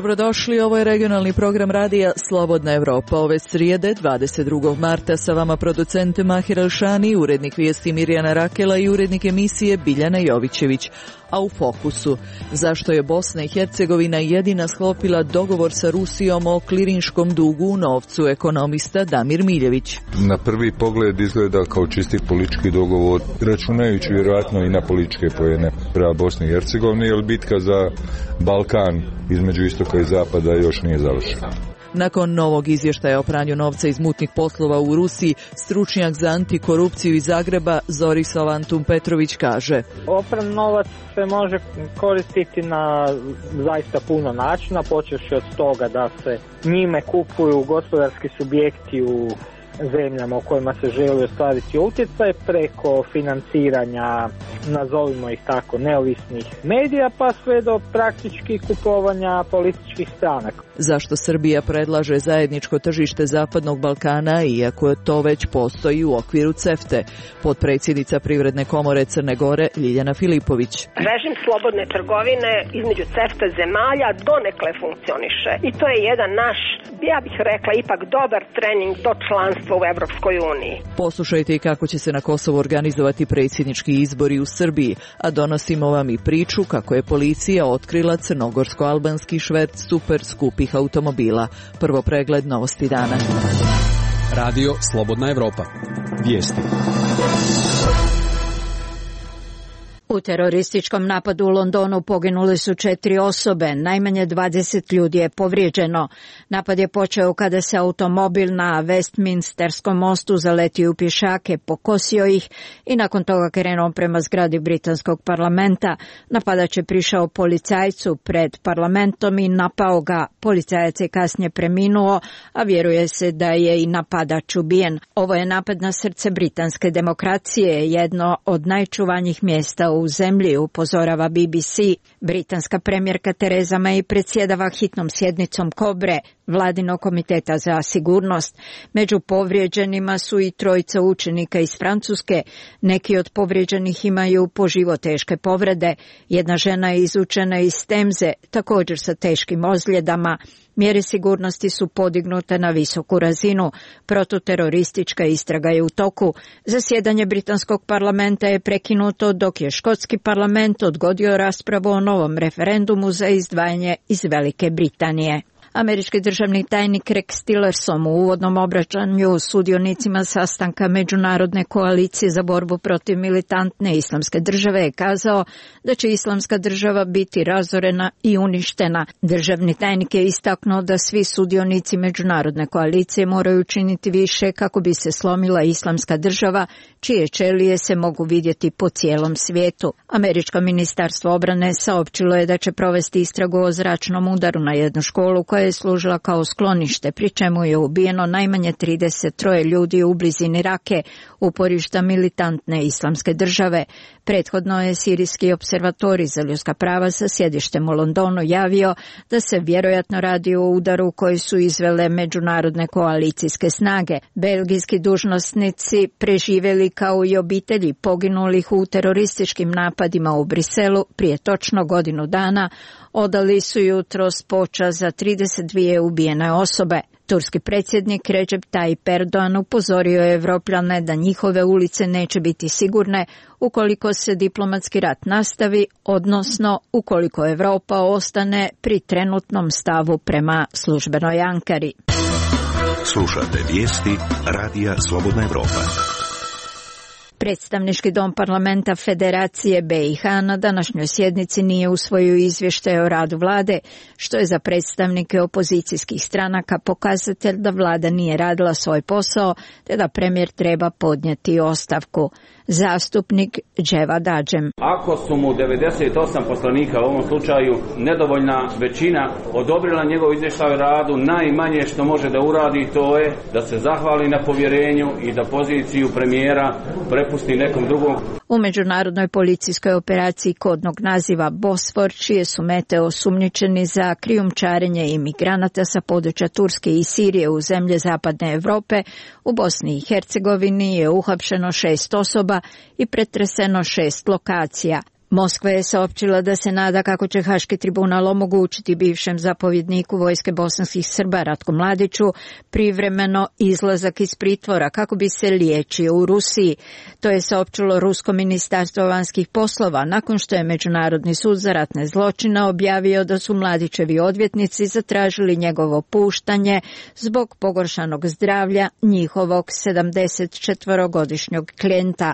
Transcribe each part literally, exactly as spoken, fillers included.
Dobrodošli, ovo je regionalni program radija Slobodna Evropa. Ove srijede, dvadeset drugog marta, sa vama producent Mahir Alšani, urednik vijesti Mirjana Rakela i urednik emisije Biljana Jovićević. A u fokusu, zašto je Bosna i Hercegovina jedina sklopila dogovor sa Rusijom o klirinškom dugu u novcu, ekonomista Damir Miljević. Na prvi pogled izgleda kao čisti politički dogovor, računajući vjerojatno i na političke poene prema Bosni i Hercegovini, jer bitka za Balkan između istoka i zapada još nije završena. Nakon novog izvještaja o pranju novca iz mutnih poslova u Rusiji, stručnjak za antikorupciju iz Zagreba Zorislav Antun Petrović kaže: Opran novac se može koristiti na zaista puno načina, počevši od toga da se njime kupuju gospodarski subjekti u zemljama u kojima se želi ostvariti utjecaj, preko financiranja, nazovimo ih tako, neovisnih medija, pa sve do praktički kupovanja političkih stranaka. Zašto Srbija predlaže zajedničko tržište Zapadnog Balkana, iako to već postoji u okviru CEFTA? Potpredsjednica Privredne komore Crne Gore Ljiljana Filipović. Režim slobodne trgovine između CEFTA zemalja donekle funkcioniše i to je jedan naš, ja bih rekla, ipak dobar trening do članstva u Evropskoj uniji. Poslušajte i kako će se na Kosovu organizovati predsjednički izbori u Srbiji, a donosimo vam i priču kako je policija otkrila crnogorsko-albanski šverc super skupih automobila. Prvo pregled novosti dana. Radio Slobodna Evropa. Vijesti. U terorističkom napadu u Londonu poginule su četiri osobe, najmanje dvadeset ljudi je povrijeđeno. Napad je počeo kada se automobil na Westminsterskom mostu zaletio u pješake, pokosio ih i nakon toga krenuo prema zgradi britanskog parlamenta. Napadač je prišao policajcu pred parlamentom i napao ga. Policajac je kasnije preminuo, a vjeruje se da je i napadač ubijen. Ovo je napad na srce britanske demokracije, jedno od najčuvanijih mjesta u u zemlji, upozorava B B C. Britanska premijerka Tereza May predsjedava hitnom sjednicom Kobre, Vladinog komiteta za sigurnost. Među povrijeđenima su i trojica učenika iz Francuske. Neki od povrijeđenih imaju po život teške povrede. Jedna žena je izučena iz Temze, također sa teškim ozljedama. Mjere sigurnosti su podignute na visoku razinu. Protuteroristička istraga je u toku. Zasjedanje britanskog parlamenta je prekinuto dok je škotski parlament odgodio raspravu o novom referendumu za izdvajanje iz Velike Britanije. Američki državni tajnik Rex Tillerson u uvodnom obraćanju sudionicima sastanka Međunarodne koalicije za borbu protiv militantne islamske države je kazao da će islamska država biti razorena i uništena. Državni tajnik je istaknuo da svi sudionici Međunarodne koalicije moraju učiniti više kako bi se slomila islamska država, čije ćelije se mogu vidjeti po cijelom svijetu. Američko ministarstvo obrane saopćilo je da će provesti istragu o zračnom udaru na jednu školu koja je služila kao sklonište, pri čemu je ubijeno najmanje trideset tri ljudi u blizini Rake, uporišta militantne islamske države. Prethodno je Sirijski observatorij za ljudska prava sa sjedištem u Londonu javio da se vjerojatno radi o udaru koji su izvele međunarodne koalicijske snage. Belgijski dužnosnici preživjeli kao i obitelji poginulih u terorističkim napadima u Briselu prije točno godinu dana odali su jutros počast za trideset dvije ubijene osobe. Turski predsjednik Recep Tayyip Erdogan upozorio je Evropljane da njihove ulice neće biti sigurne ukoliko se diplomatski rat nastavi, odnosno ukoliko Europa ostane pri trenutnom stavu prema službenoj Ankari. Slušate vijesti Radija Slobodna Evropa. Predstavnički dom parlamenta Federacije B i H na današnjoj sjednici nije usvojio izvještaj o radu vlade, što je za predstavnike opozicijskih stranaka pokazatelj da vlada nije radila svoj posao, te da premijer treba podnijeti ostavku. Zastupnik Dževad Adžem. Ako su mu devedeset osam poslanika u ovom slučaju nedovoljna većina odobrila njegov izvještaj o radu, najmanje što može da uradi to je da se zahvali na povjerenju i da poziciju premijera prepusti nekom drugom. U međunarodnoj policijskoj operaciji kodnog naziva Bosfor, čije su mete osumnjičeni za krijumčarenje imigranata sa područja Turske i Sirije u zemlje zapadne Europe, u Bosni i Hercegovini je uhapšeno šest osoba i pretreseno šest lokacija. Moskva je saopćila da se nada kako će Haški tribunal omogućiti bivšem zapovjedniku vojske bosanskih Srba Ratku Mladiću privremeno izlazak iz pritvora kako bi se liječio u Rusiji. To je saopćilo Rusko ministarstvo vanjskih poslova nakon što je Međunarodni sud za ratne zločine objavio da su Mladićevi odvjetnici zatražili njegovo puštanje zbog pogoršanog zdravlja njihovog sedamdesetčetvorogodišnjeg klijenta.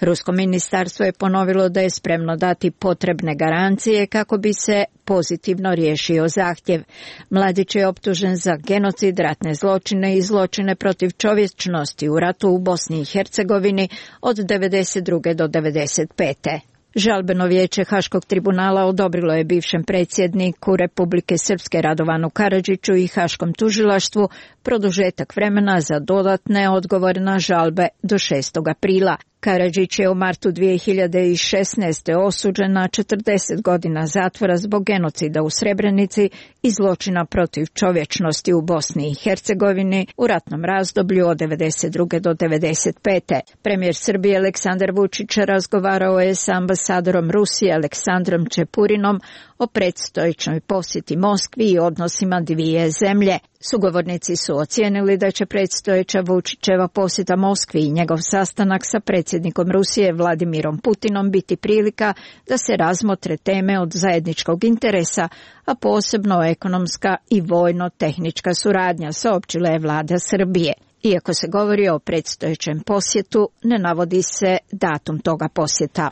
Rusko ministarstvo je ponovilo da je spremno dati potrebne garancije kako bi se pozitivno riješio zahtjev. Mladić je optužen za genocid, ratne zločine i zločine protiv čovječnosti u ratu u Bosni i Hercegovini od devedeset druge do devedeset pete Žalbeno vijeće Haškog tribunala odobrilo je bivšem predsjedniku Republike Srpske Radovanu Karadžiću i Haškom tužilaštvu produžetak vremena za dodatne odgovore na žalbe do šestog aprila. Karadžić je u martu dvije hiljade šesnaeste. osuđen na četrdeset godina zatvora zbog genocida u Srebrenici i zločina protiv čovječnosti u Bosni i Hercegovini u ratnom razdoblju od devedeset druge do devedeset pete Premijer Srbije Aleksandar Vučić razgovarao je s ambasadorom Rusije Aleksandrom Čepurinom o predstojećoj posjeti Moskvi i odnosima dvije zemlje. Sugovornici su ocijenili da će predstojeća Vučićeva posjeta Moskvi i njegov sastanak sa predsjednikom Rusije Vladimirom Putinom biti prilika da se razmotre teme od zajedničkog interesa, a posebno ekonomska i vojno-tehnička suradnja, saopćila je vlada Srbije. Iako se govori o predstojećem posjetu, ne navodi se datum toga posjeta.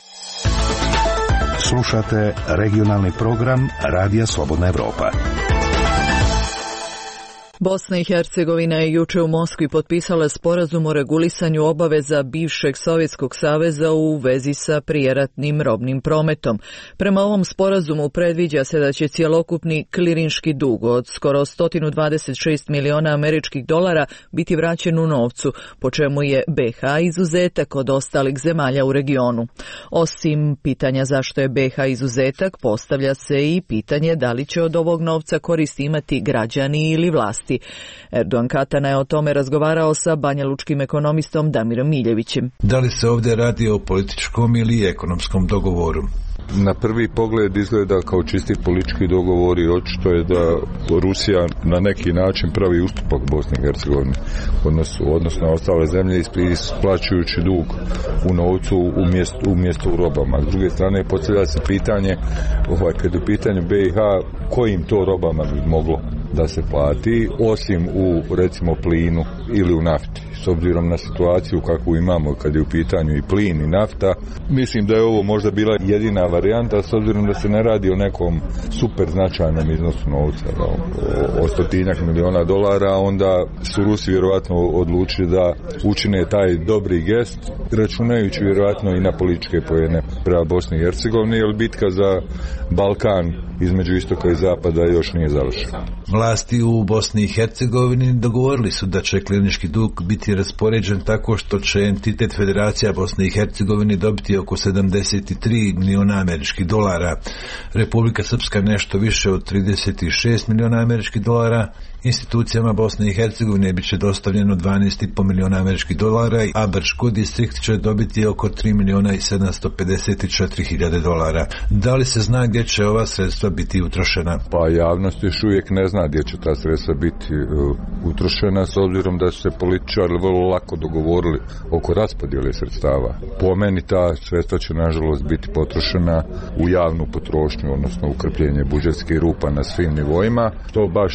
Slušate regionalni program Radija Slobodna Evropa. Bosna i Hercegovina je juče u Moskvi potpisala sporazum o regulisanju obaveza bivšeg Sovjetskog saveza u vezi sa prijeratnim robnim prometom. Prema ovom sporazumu predviđa se da će cjelokupni klirinški dug od skoro sto dvadeset šest miliona američkih dolara biti vraćen u novcu, po čemu je B iH izuzetak od ostalih zemalja u regionu. Osim pitanja zašto je B iH izuzetak, postavlja se i pitanje da li će od ovog novca koristi imati građani ili vlasti. Erdogan Katana je o tome razgovarao sa banjalučkim ekonomistom Damirom Miljevićem. Da li se ovdje radi o političkom ili ekonomskom dogovoru? Na prvi pogled izgleda kao čisti politički dogovor i očito je da Rusija na neki način pravi ustupak Bosni i Hercegovini, odnosno, odnosno ostale zemlje isplaćujući dug u novcu umjesto, umjesto u robama. S druge strane postavlja se pitanje, ovaj, kad je u pitanju B iH, kojim to robama bi moglo da se plati, osim u recimo plinu ili u nafti. S obzirom na situaciju kakvu imamo kad je u pitanju i plin i nafta, mislim da je ovo možda bila jedina varijanta, s obzirom da se ne radi o nekom super značajnom iznosu novca, o, o stotinjak miliona dolara, onda su Rusi vjerojatno odlučili da učine taj dobri gest, računajući vjerojatno i na političke poene prema Bosni i Hercegovini, jer bitka za Balkan između istoka i zapada još nije završena. Vlasti u Bosni i Hercegovini dogovorili su da će klinički dug biti raspoređen tako što će entitet Federacija Bosne i Hercegovine dobiti oko sedamdeset tri miliona američkih dolara, Republika Srpska nešto više od trideset šest miliona američkih dolara, institucijama Bosne i Hercegovine bit će dostavljeno dvanaest i po miliona američkih dolara, a Brčko distrikt će dobiti oko tri miliona i sedamsto pedeset četiri hiljade dolara. Da li se zna gdje će ova sredstva biti utrošena? Pa javnost još uvijek ne zna gdje će ta sredstva biti uh, utrošena, s obzirom da su se političari vrlo lako dogovorili oko raspodjele sredstava. Po meni ta sredstva će nažalost biti potrošena u javnu potrošnju, odnosno u krpljenje budžetskih rupa na svim nivoima. To baš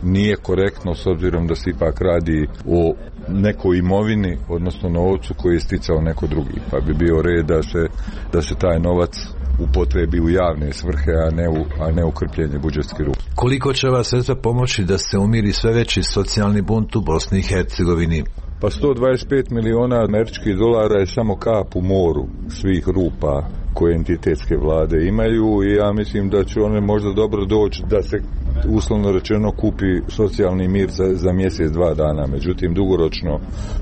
nije korektno, s obzirom da se ipak radi o nekoj imovini, odnosno novcu koji je sticao neko drugi, pa bi bio red da se, da se taj novac upotrebi u javne svrhe, a ne u, a ne u krpljenje budžetskih rupa. Koliko će ova sredstva pomoći da se umiri sve veći socijalni bunt u Bosni i Hercegovini? Pa sto dvadeset pet miliona američkih dolara je samo kap u moru svih rupa koje entitetske vlade imaju i ja mislim da će one možda dobro doći da se uslovno rečeno kupi socijalni mir za, za mjesec, dva dana. Međutim, dugoročno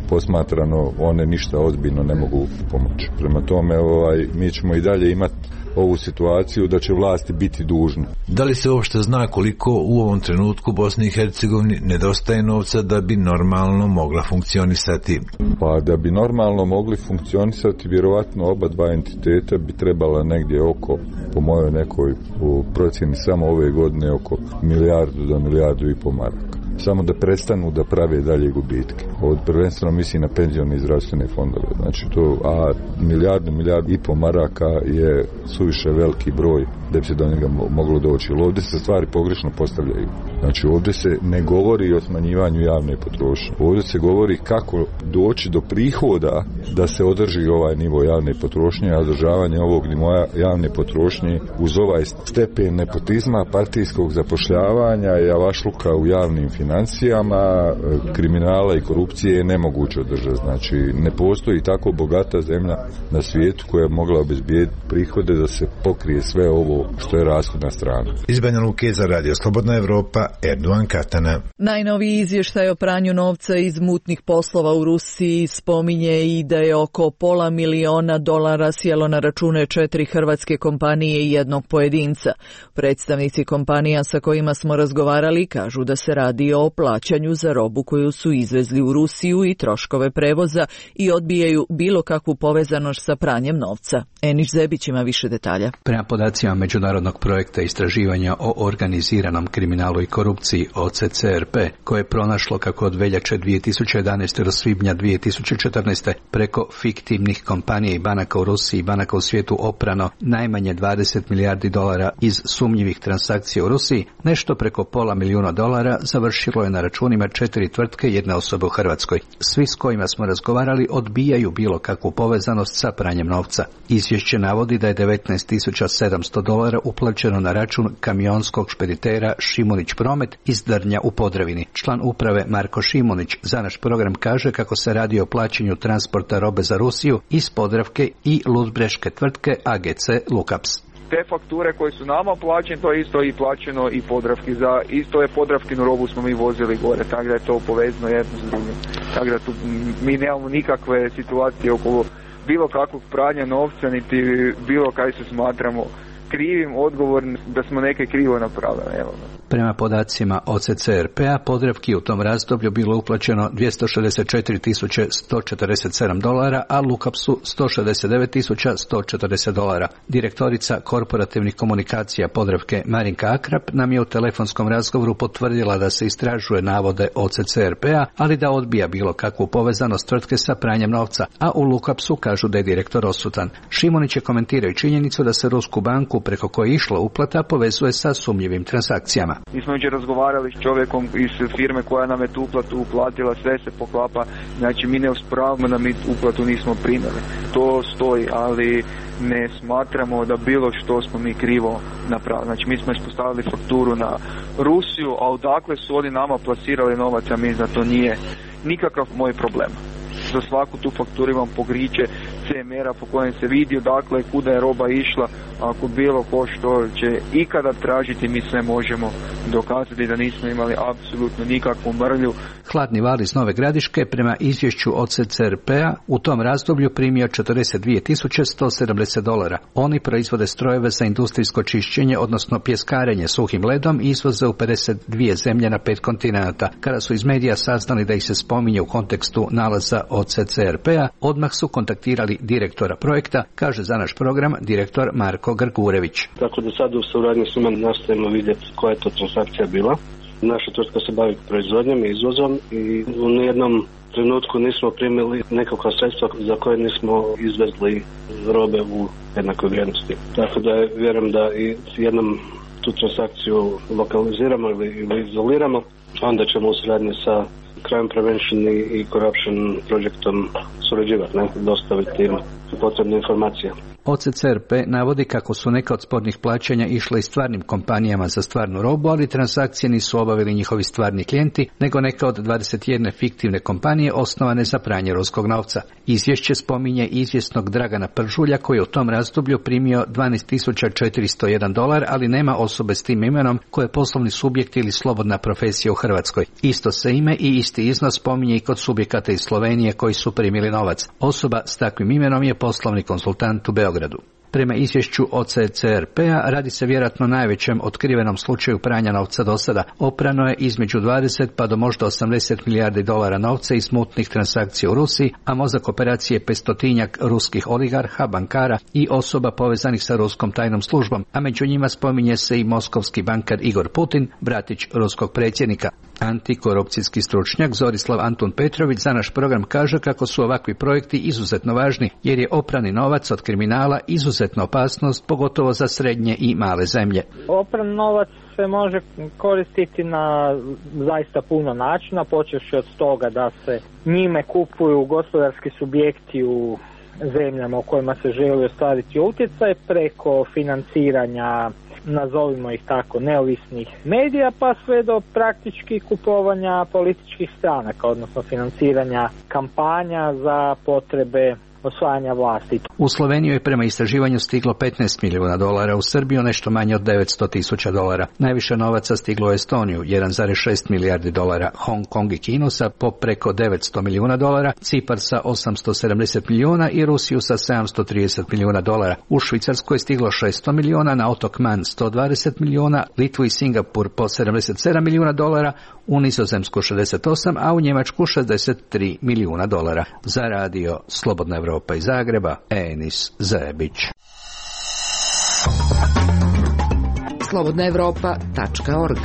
posmatrano one ništa ozbiljno ne mogu pomoći. Prema tome, ovaj, mi ćemo i dalje imati ovu situaciju da će vlasti biti dužne. Da li se uopšte zna koliko u ovom trenutku Bosni i Hercegovini nedostaje novca da bi normalno mogla funkcionisati? Pa da bi normalno mogli funkcionisati, vjerovatno oba dva entiteta bi trebala negdje oko, po mojoj nekoj procjeni samo ove godine, oko milijardu do milijardu i pol maraka. Samo da prestanu da prave dalje gubitke. Od prvenstveno misli na penzione i zdravstvene fondove. Znači to, a milijardu, milijardu i pol maraka je suviše veliki broj da bi se do njega moglo doći. Ovdje se stvari pogrešno postavljaju. Znači ovdje se ne govori o smanjivanju javne potrošnje. Ovdje se govori kako doći do prihoda da se održi ovaj nivo javne potrošnje, a održavanje ovog nivoa javne potrošnje uz ovaj stepen nepotizma, partijskog zapošljavanja i avašluka u javnim financijama, kriminala i korupcije je nemoguće održati. Znači ne postoji tako bogata zemlja na svijetu koja je mogla obezbijediti prihode da se pokrije sve ovo što je rashodna strana. Iz Banja Luke za Radio Slobodna Evropa, Erdogan Katana. Najnoviji izvještaj o pranju novca iz mutnih poslova u Rusiji spominje i da je oko pola miliona dolara sjelo na račune četiri hrvatske kompanije i jednog pojedinca. Predstavnici kompanija sa kojima smo razgovarali kažu da se radi o plaćanju za robu koju su izvezli u Rusiju i troškove prevoza i odbijaju bilo kakvu povezanost sa pranjem novca. Eniš Zebić ima više detalja. Prema podacima Međunarodnog projekta istraživanja o organiziranom kriminalu i korupciji O C C R P, koje je pronašlo kako od veljače dvije tisuće jedanaeste do svibnja dvije tisuće četrnaeste preko fiktivnih kompanija i banaka u Rusiji i banaka u svijetu oprano najmanje dvadeset milijardi dolara iz sumnjivih transakcija u Rusiji, nešto preko pola milijuna dolara završilo je na računima četiri tvrtke i jedne osobe u Hrvatskoj. Svi s kojima smo razgovarali odbijaju bilo kakvu povezanost sa pranjem novca. Izvješće navodi da je devetnaest tisuća sedamsto dolara uplaćeno na račun kamionskog špeditera Šimunić Promet iz Drnja u Podravini. Član uprave Marko Šimunić za naš program kaže kako se radi o plaćanju transporta robe za Rusiju iz Podravke i luzbreške tvrtke A G C Lukaps. Te fakture koje su nama plaćene, to je isto i plaćeno i Podravki. Za isto je Podravkinu robu smo mi vozili gore, tako da je to povezano jedno s drugim. Tako da tu mi nemamo nikakve situacije oko bilo kakvog pranja novca, niti bilo kaj se smatramo krivim, odgovorni da smo neke krivo napravili. Evo. Prema podacima O C C R P-a, Podravki u tom razdoblju bilo uplaćeno dvjesto šezdeset četiri tisuće sto četrdeset sedam dolara, a Lukapsu sto šezdeset devet tisuća sto četrdeset dolara. Direktorica korporativnih komunikacija Podravke Marinka Akrap nam je u telefonskom razgovoru potvrdila da se istražuje navode O C C R P-a, ali da odbija bilo kakvu povezanost tvrtke sa pranjem novca, a u Lukapsu kažu da je direktor odsutan. Šimunić je komentirao činjenicu da se Rusku banku preko koje je išla uplata povezuje sa sumnjivim transakcijama. Mi smo jučer razgovarali s čovjekom iz firme koja nam je tu uplatu uplatila, sve se poklapa, znači mi ne uspravimo da mi uplatu nismo primili. To stoji, ali ne smatramo da bilo što smo mi krivo napravili. Znači mi smo ispostavili fakturu na Rusiju, a odakle su oni nama plasirali novac, a mi za to nije nikakav moj problem. Za svaku tu fakturu imam pokriće C M R-a po kojem se vidi odakle kuda je roba išla. Ako bilo ko što će ikada tražiti, mi sve možemo dokazati da nismo imali apsolutno nikakvu mrlju. Hladni val iz Nove Gradiške prema izvješću O C C R P-a u tom razdoblju primio četrdeset dvije tisuće sto sedamdeset dolara. Oni proizvode strojeve za industrijsko čišćenje, odnosno pjeskarenje suhim ledom i izvoze u pedeset dvije zemlje na pet kontinenata. Kada su iz medija saznali da ih se spominje u kontekstu nalaza O C C R P-a, odmah su kontaktirali direktora projekta, kaže za naš program direktor Marko Grgurević. Tako da sad u suradnji s njima nastavimo vidjeti koja je to transakcija bila. Naša tvrtka se bavi proizvodnjom i izvozom i u nijednom trenutku nismo primili nekakva sredstva za koje nismo izvezli robe u jednakoj vrijednosti. Tako da vjerujem da i jednom tu transakciju lokaliziramo ili, ili izoliramo, onda ćemo u suradnji sa Crime Prevention i Corruption projektom surađivati, ne, dostaviti im potrebne informacije. O C C R P navodi kako su neka od spornih plaćanja išle i stvarnim kompanijama za stvarnu robu, ali transakcije nisu obavili njihovi stvarni klijenti, nego neka od dvadeset jedne fiktivne kompanije osnovane za pranje ruskog novca. Izvješće spominje izvjesnog Dragana Pržulja koji je u tom razdoblju primio dvanaest tisuća četiristo jedan dolar, ali nema osobe s tim imenom koje je poslovni subjekt ili slobodna profesija u Hrvatskoj. Isto se ime i isti iznos spominje i kod subjekata iz Slovenije koji su primili novac. Osoba s takvim imenom je poslovni konsultant u Beogradu. Prema izvješću O C C R P-a radi se vjerojatno najvećem otkrivenom slučaju pranja novca do sada. Oprano je između dvadeset pa do možda osamdeset milijardi dolara novca iz mutnih transakcija u Rusiji, a mozak operacije je petstotinjak ruskih oligarha, bankara i osoba povezanih sa ruskom tajnom službom, a među njima spominje se i moskovski bankar Igor Putin, bratić ruskog predsjednika. Antikorupcijski stručnjak Zorislav Antun Petrović za naš program kaže kako su ovakvi projekti izuzetno važni, jer je oprani novac od kriminala izuzetna opasnost, pogotovo za srednje i male zemlje. Opran novac se može koristiti na zaista puno načina, počevši od toga da se njime kupuju gospodarski subjekti u zemljama u kojima se želi ostvariti utjecaj, preko financiranja, nazovimo ih tako, neovisnih medija, pa sve do praktički kupovanja političkih stranaka, odnosno financiranja kampanja za potrebe osvajanja vlasti. U Sloveniju je prema istraživanju stiglo petnaest milijuna dolara, u Srbiju nešto manje od devetsto tisuća dolara. Najviše novaca stiglo u Estoniju, jedan zarez šest milijardi dolara, Hong Kong i Kinu sa po preko devetsto milijuna dolara, Cipar sa osamsto sedamdeset milijuna i Rusiju sa sedamsto trideset milijuna dolara. U Švicarskoj je stiglo šesto milijuna, na otok Man sto dvadeset milijuna, Litvu i Singapur po sedamdeset sedam milijuna dolara, u Nizozemsku šezdeset osam, a u Njemačku šezdeset tri milijuna dolara. Za radio Slobodna Evropa iz Zagreba, Enis Zebić. slobodna evropa tačka org.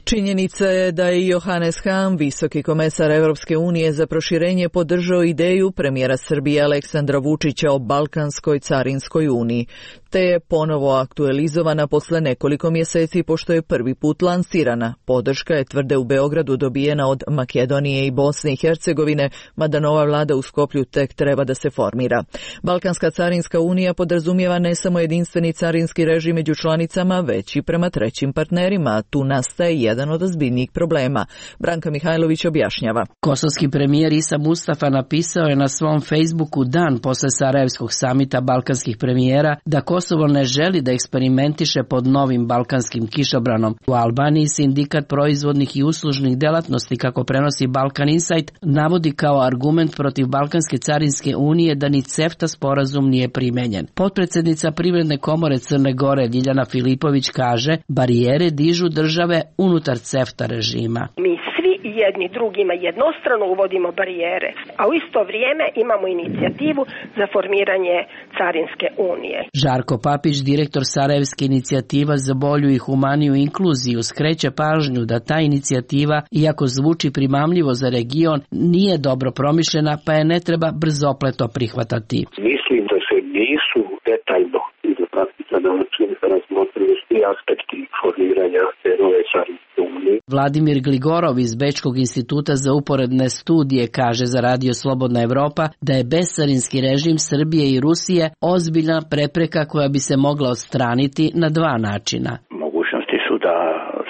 Činjenica je da je Johannes Hahn, visoki komesar Europske unije za proširenje, podržao ideju premijera Srbije Aleksandra Vučića o Balkanskoj carinskoj uniji, te je ponovo aktualizovana posle nekoliko mjeseci pošto je prvi put lansirana. Podrška je, tvrde u Beogradu, dobijena od Makedonije i Bosne i Hercegovine, mada nova vlada u Skoplju tek treba da se formira. Balkanska carinska unija podrazumijeva ne samo jedinstveni carinski režim među članicama, već i prema trećim partnerima. Tu nastaje jedan od ozbiljnijih problema. Branka Mihajlović objašnjava. Kosovski premijer Isa Mustafa napisao je na svom Facebooku dan posle Sarajevskog samita balkanskih premijera da Kosovo ne želi da eksperimentiše pod novim balkanskim kišobranom. U Albaniji sindikat proizvodnih i uslužnih delatnosti, kako prenosi Balkan Insight, navodi kao argument protiv Balkanske carinske unije da ni CEFTA sporazum nije primenjen. Potpredsjednica Privredne komore Crne Gore Ljiljana Filipović kaže, barijere dižu države unutar CEFTA režima. Mi svi jedni drugima jednostrano uvodimo barijere, a u isto vrijeme imamo inicijativu za formiranje carinske unije. Žarko Papić, direktor Sarajevske inicijativa za bolju i humaniju inkluziju, skreće pažnju da ta inicijativa, iako zvuči primamljivo za region, nije dobro promišljena, pa je ne treba brzopleto prihvatati. Mislim da se nisu detaljno i do praktika način razmotrili svi aspekti formiranja te nove carinske unije. Vladimir Gligorov iz Bečkog instituta za uporedne studije kaže za radio Slobodna Evropa da je bescarinski režim Srbije i Rusije ozbiljna prepreka koja bi se mogla odstraniti na dva načina. Mogućnosti su da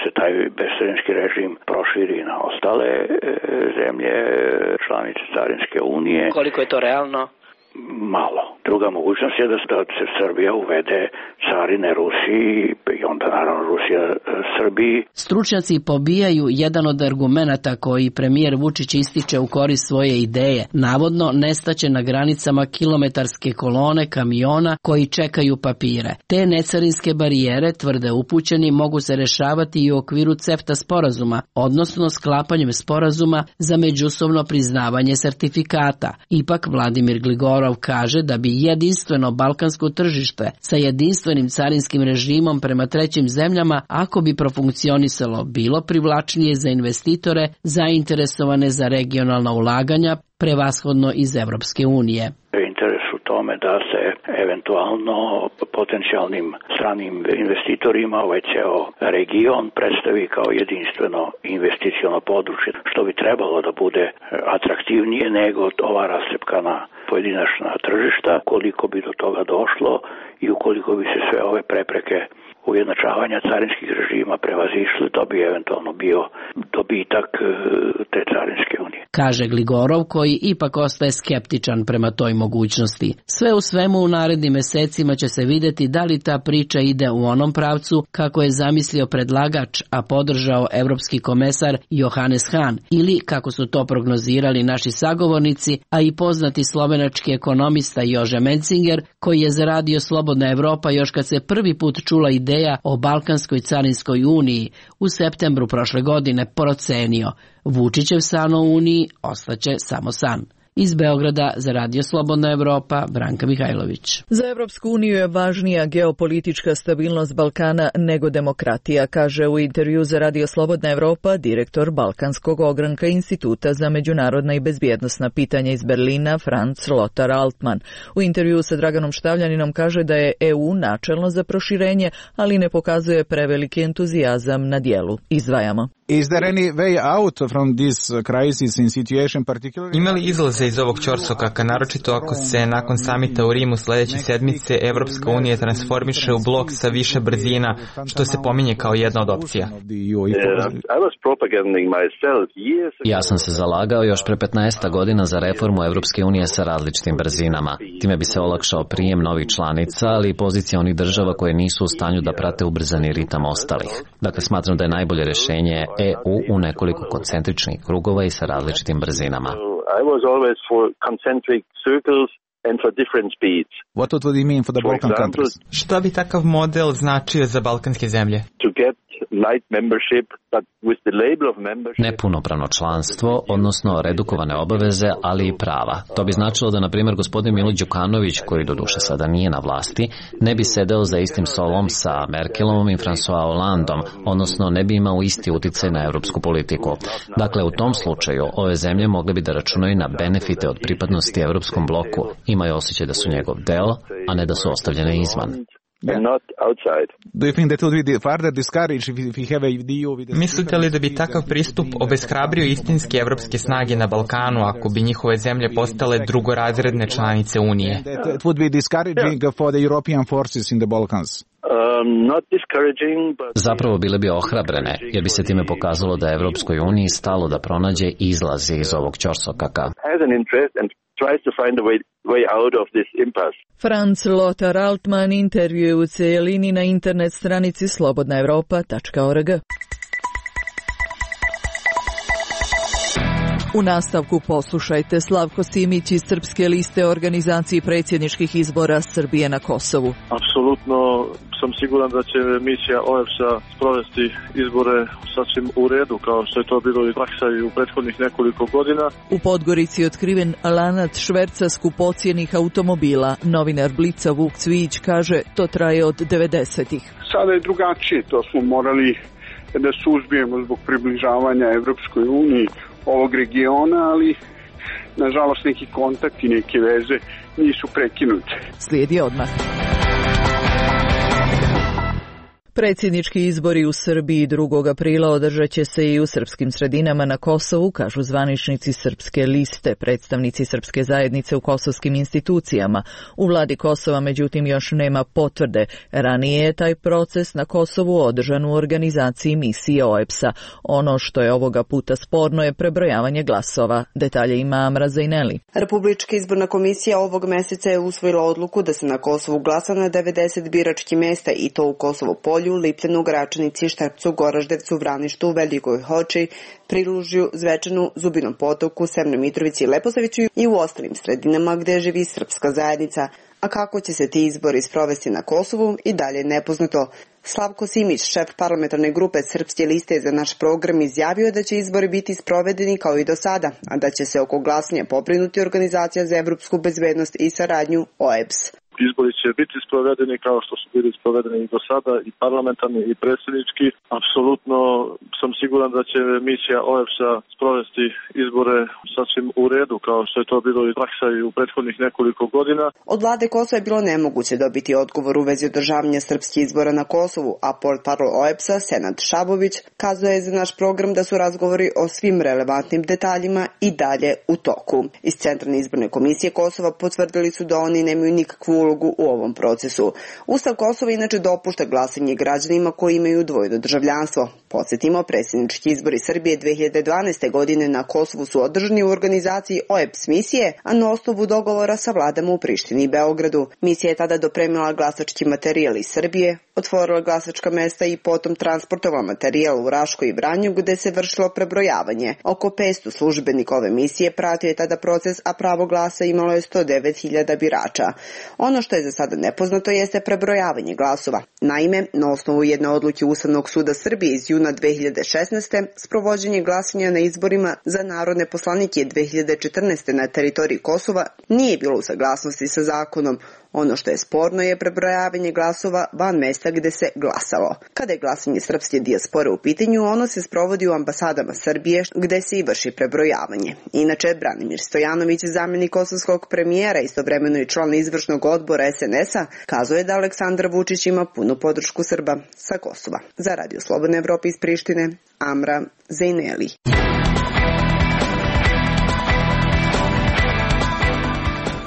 se taj bescarinski režim proširi na ostale zemlje članice carinske unije. Koliko je to realno? Malo. Druga mogućnost je da se Srbija uvede carine Rusiji i onda naravno Rusija Srbiji. Stručnjaci pobijaju jedan od argumenata koji premijer Vučić ističe u korist svoje ideje. Navodno nestaće na granicama kilometarske kolone kamiona koji čekaju papire. Te necarinske barijere, tvrde upućeni, mogu se rešavati i u okviru CEFTA sporazuma, odnosno sklapanjem sporazuma za međusobno priznavanje sertifikata. Ipak Vladimir Gligorov kaže da bi jedinstveno balkansko tržište sa jedinstvenim carinskim režimom prema trećim zemljama, ako bi profunkcionisalo, bilo privlačnije za investitore zainteresovane za regionalna ulaganja, prevashodno iz Evropske unije. Interes u tome da se eventualno potencijalnim stranim investitorima ovaj ceo region predstavi kao jedinstveno investiciono područje, što bi trebalo da bude atraktivnije nego ova rascepkana pojedinačna tržišta. Koliko bi do toga došlo i ukoliko bi se sve ove prepreke ujednačavanja carinskih režima prevazišli, to bi eventualno bio dobitak te carinske unije. kaže Gligorov, koji ipak ostaje skeptičan prema toj mogućnosti. Sve u svemu u narednim mesecima će se vidjeti da li ta priča ide u onom pravcu kako je zamislio predlagač, a podržao evropski komesar Johannes Hahn, ili kako su to prognozirali naši sagovornici, a i poznati slovenački ekonomista Jože Mencinger, koji je za Radio Slobodna Evropa još kad se prvi put čula ideja o Balkanskoj carinskoj uniji u septembru prošle godine procenio: Vučićev san o uniji ostaće samo san. Iz Beograda za Radio Slobodna Evropa, Branka Mihajlović. Za Evropsku uniju je važnija geopolitička stabilnost Balkana nego demokratija, kaže u intervju za Radio Slobodna Evropa direktor Balkanskog ogranka Instituta za međunarodna i bezbjednosna pitanja iz Berlina, Franz Lothar Altmann. U intervju sa Draganom Štavljaninom kaže da je E U načelno za proširenje, ali ne pokazuje preveliki entuzijazam na dijelu. Izdvajamo. Is there any way out from this crisis in situation particularly? Ima li izlaze iz ovog ćorsokaka, naročito ako se nakon samita u Rimu sljedeće sedmice Evropska unija transformiše u blok sa više brzina, što se pominje kao jedna od opcija? Ja sam se zalagao još pre petnaest godina za reformu Evropske unije sa različitim brzinama. Time bi se olakšao prijem novih članica, ali i pozicija onih država koje nisu u stanju da prate ubrzani ritam ostalih. Dakle, smatram da je najbolje rješenje E U u nekoliko koncentričnih krugova i sa različitim brzinama. I was always for concentric circles and for different speeds. What would it mean for the Balkan countries? Šta bi takav model značio za balkanske zemlje? To get light membership, but with the label of membership. Nepunopravno članstvo, odnosno redukovane obaveze, ali i prava. To bi značilo da, na primjer, gospodin Milo Đukanović, koji doduše sada nije na vlasti, ne bi sedeo za istim stolom sa Merkelovom i François Hollandom, odnosno ne bi imao isti uticaj na europsku politiku. Dakle, u tom slučaju ove zemlje mogle bi da računaju na benefite od pripadnosti europskom bloku, imaju osjećaj da su njegov deo, a ne da su ostavljene izvan. Mislite li da bi takav pristup obeshrabrio istinske evropske snage na Balkanu ako bi njihove zemlje postale drugorazredne članice Unije? It would be discouraging for the European forces in the Balkans. Um, not discouraging, but... Zapravo bile bi ohrabrene, jer bi se time pokazalo da je Evropskoj uniji stalo da pronađe izlazi iz ovog ćorsokaka. Franz Lothar Altmann intervjuje u cijelini na internet stranici slobodna evropa tačka org. U nastavku poslušajte Slavko Simić iz Srpske liste organizaciji predsjedničkih izbora Srbije na Kosovu. Apsolutno sam siguran da će misija O E B S-a sprovesti izbore sasvim u redu, kao što je to bilo i praksa i u prethodnih nekoliko godina. U Podgorici je otkriven lanac šverca skupocjenih automobila. Novinar Blica Vuk Cvijić kaže to traje od devedesetih. Sada je drugačije, to smo morali da suzbijemo zbog približavanja Evropskoj uniji ovog regiona, ali nažalost neki kontakti, neke veze nisu prekinute. Slijedi odmah. Predsjednički izbori u Srbiji drugog aprila održat će se i u srpskim sredinama na Kosovu, kažu zvaničnici Srpske liste, predstavnici srpske zajednice u kosovskim institucijama. U vladi Kosova, međutim, još nema potvrde. Ranije je taj proces na Kosovu održan u organizaciji misije O E B S-a. Ono što je ovoga puta sporno je prebrojavanje glasova. Detalje ima Amra Zajneli. Republička izborna komisija ovog meseca je usvojila odluku da se na Kosovu glasa na devedeset biračkih mjesta i to u Kosovo Polju, Lipljanu, Gračanici, Štrpcu, Goraždevcu, Vraništu, Velikoj Hoči, Prilužju, Zvečanu, Zubinom Potoku, Severnoj Mitrovici i Leposaviću i u ostalim sredinama gdje živi srpska zajednica. A kako će se ti izbori sprovesti na Kosovu i dalje nepoznato. Slavko Simić, šef parlamentarne grupe Srpske liste za naš program, izjavio je da će izbori biti sprovedeni kao i do sada, a da će se oko glasanja pobrinuti Organizacija za evropsku bezbednost i saradnju O E B S. Izbori će biti sprovedeni kao što su bili sprovedeni i do sada, i parlamentarni i predsjednički. Apsolutno sam siguran da će misija O E B S-a sprovesti izbore sasvim u redu, kao što je to bilo i praksa i u prethodnih nekoliko godina. Od vlade Kosova je bilo nemoguće dobiti odgovor u vezi održavanja srpskih izbora na Kosovu, a portparol O E B S-a Senad Šabović kazuje za naš program da su razgovori o svim relevantnim detaljima i dalje u toku. Iz Centralne izborne komisije Kosova potvrdili su da oni nemaju nikakvu ulogu u ovom procesu. Ustav Kosova inače dopušta glasanje građanima koji imaju dvojno državljanstvo. Podsjetimo, predsjednički izbori Srbije dve hiljade dvanaeste. godine na Kosovu su održani u organizaciji O E P S misije, a na osnovu dogovora sa vladama u Prištini i Beogradu. Misija je tada dopremila glasački materijal iz Srbije, otvorila glasačka mesta i potom transportovala materijal u Raškoj i Vranju gde se vršilo prebrojavanje. Oko petsto službenika ove misije pratio je tada proces, a pravo glasa imalo je sto devet hiljada birača. Ono što je za sada nepoznato jeste prebrojavanje glasova. Naime, na osnovu jedne odluke Ustavnog suda Srbije iz juna dve hiljade šesnaeste. sprovođenje glasanja na izborima za narodne poslanike dve hiljade četrnaeste. na teritoriji Kosova nije bilo u saglasnosti sa zakonom. Ono što je sporno je prebrojavanje glasova van mesta gde se glasalo. Kada je glasanje srpske dijaspore u pitanju, ono se sprovodi u ambasadama Srbije gde se i vrši prebrojavanje. Inače, Branimir Stojanović, zamjenik kosovskog premijera, istovremeno i član izvršnog odbora S N S-a, kazuje da Aleksandar Vučić ima punu podršku Srba sa Kosova. Za Radio Slobodne Evrope iz Prištine, Amra Zejneli.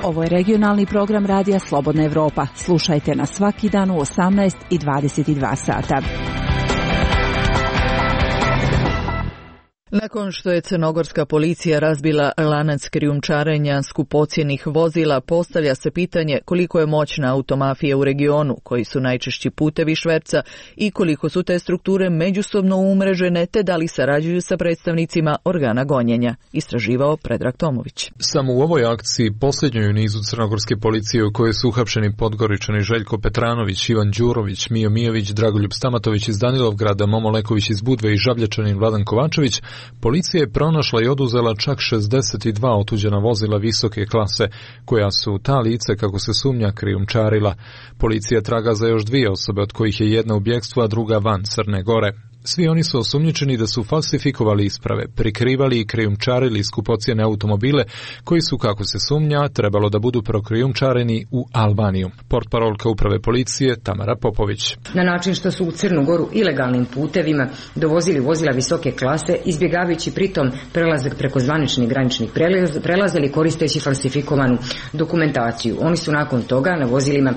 Ovo je regionalni program Radija Slobodna Evropa. Slušajte nas svaki dan u osamnaest i dvadeset dva sata. Nakon što je crnogorska policija razbila lanac krijumčarenja skupocjenih vozila, postavlja se pitanje koliko je moćna automafija u regionu, koji su najčešći putevi šverca i koliko su te strukture međusobno umrežene, te da li sarađuju sa predstavnicima organa gonjenja, istraživao Predrag Tomović. Samo u ovoj akciji, posljednjoj u nizu crnogorske policije u kojoj su uhapšeni Podgoričani Željko Petranović, Ivan Đurović, Mijo Mijović, Dragoljub Stamatović iz Danilovgrada, Momo Leković iz Budve i Žabljačanin Vladan Kovačević, policija je pronašla i oduzela čak šezdeset dva otuđena vozila visoke klase, koja su ta lice, kako se sumnja, krijumčarila. Policija traga za još dvije osobe, od kojih je jedna u bjegstvu, a druga van Crne Gore. Svi oni su osumnjičeni da su falsifikovali isprave, prikrivali i krijumčarili skupocjene automobile koji su, kako se sumnja, trebalo da budu prokrijumčareni u Albaniju. Portparolka uprave policije Tamara Popović. Na način što su u Crnu Goru ilegalnim putevima dovozili vozila visoke klase, izbjegavajući pritom prelazak preko zvaničnih graničnih prelaza ili koristeći falsifikovanu dokumentaciju. Oni su nakon toga na vozilima,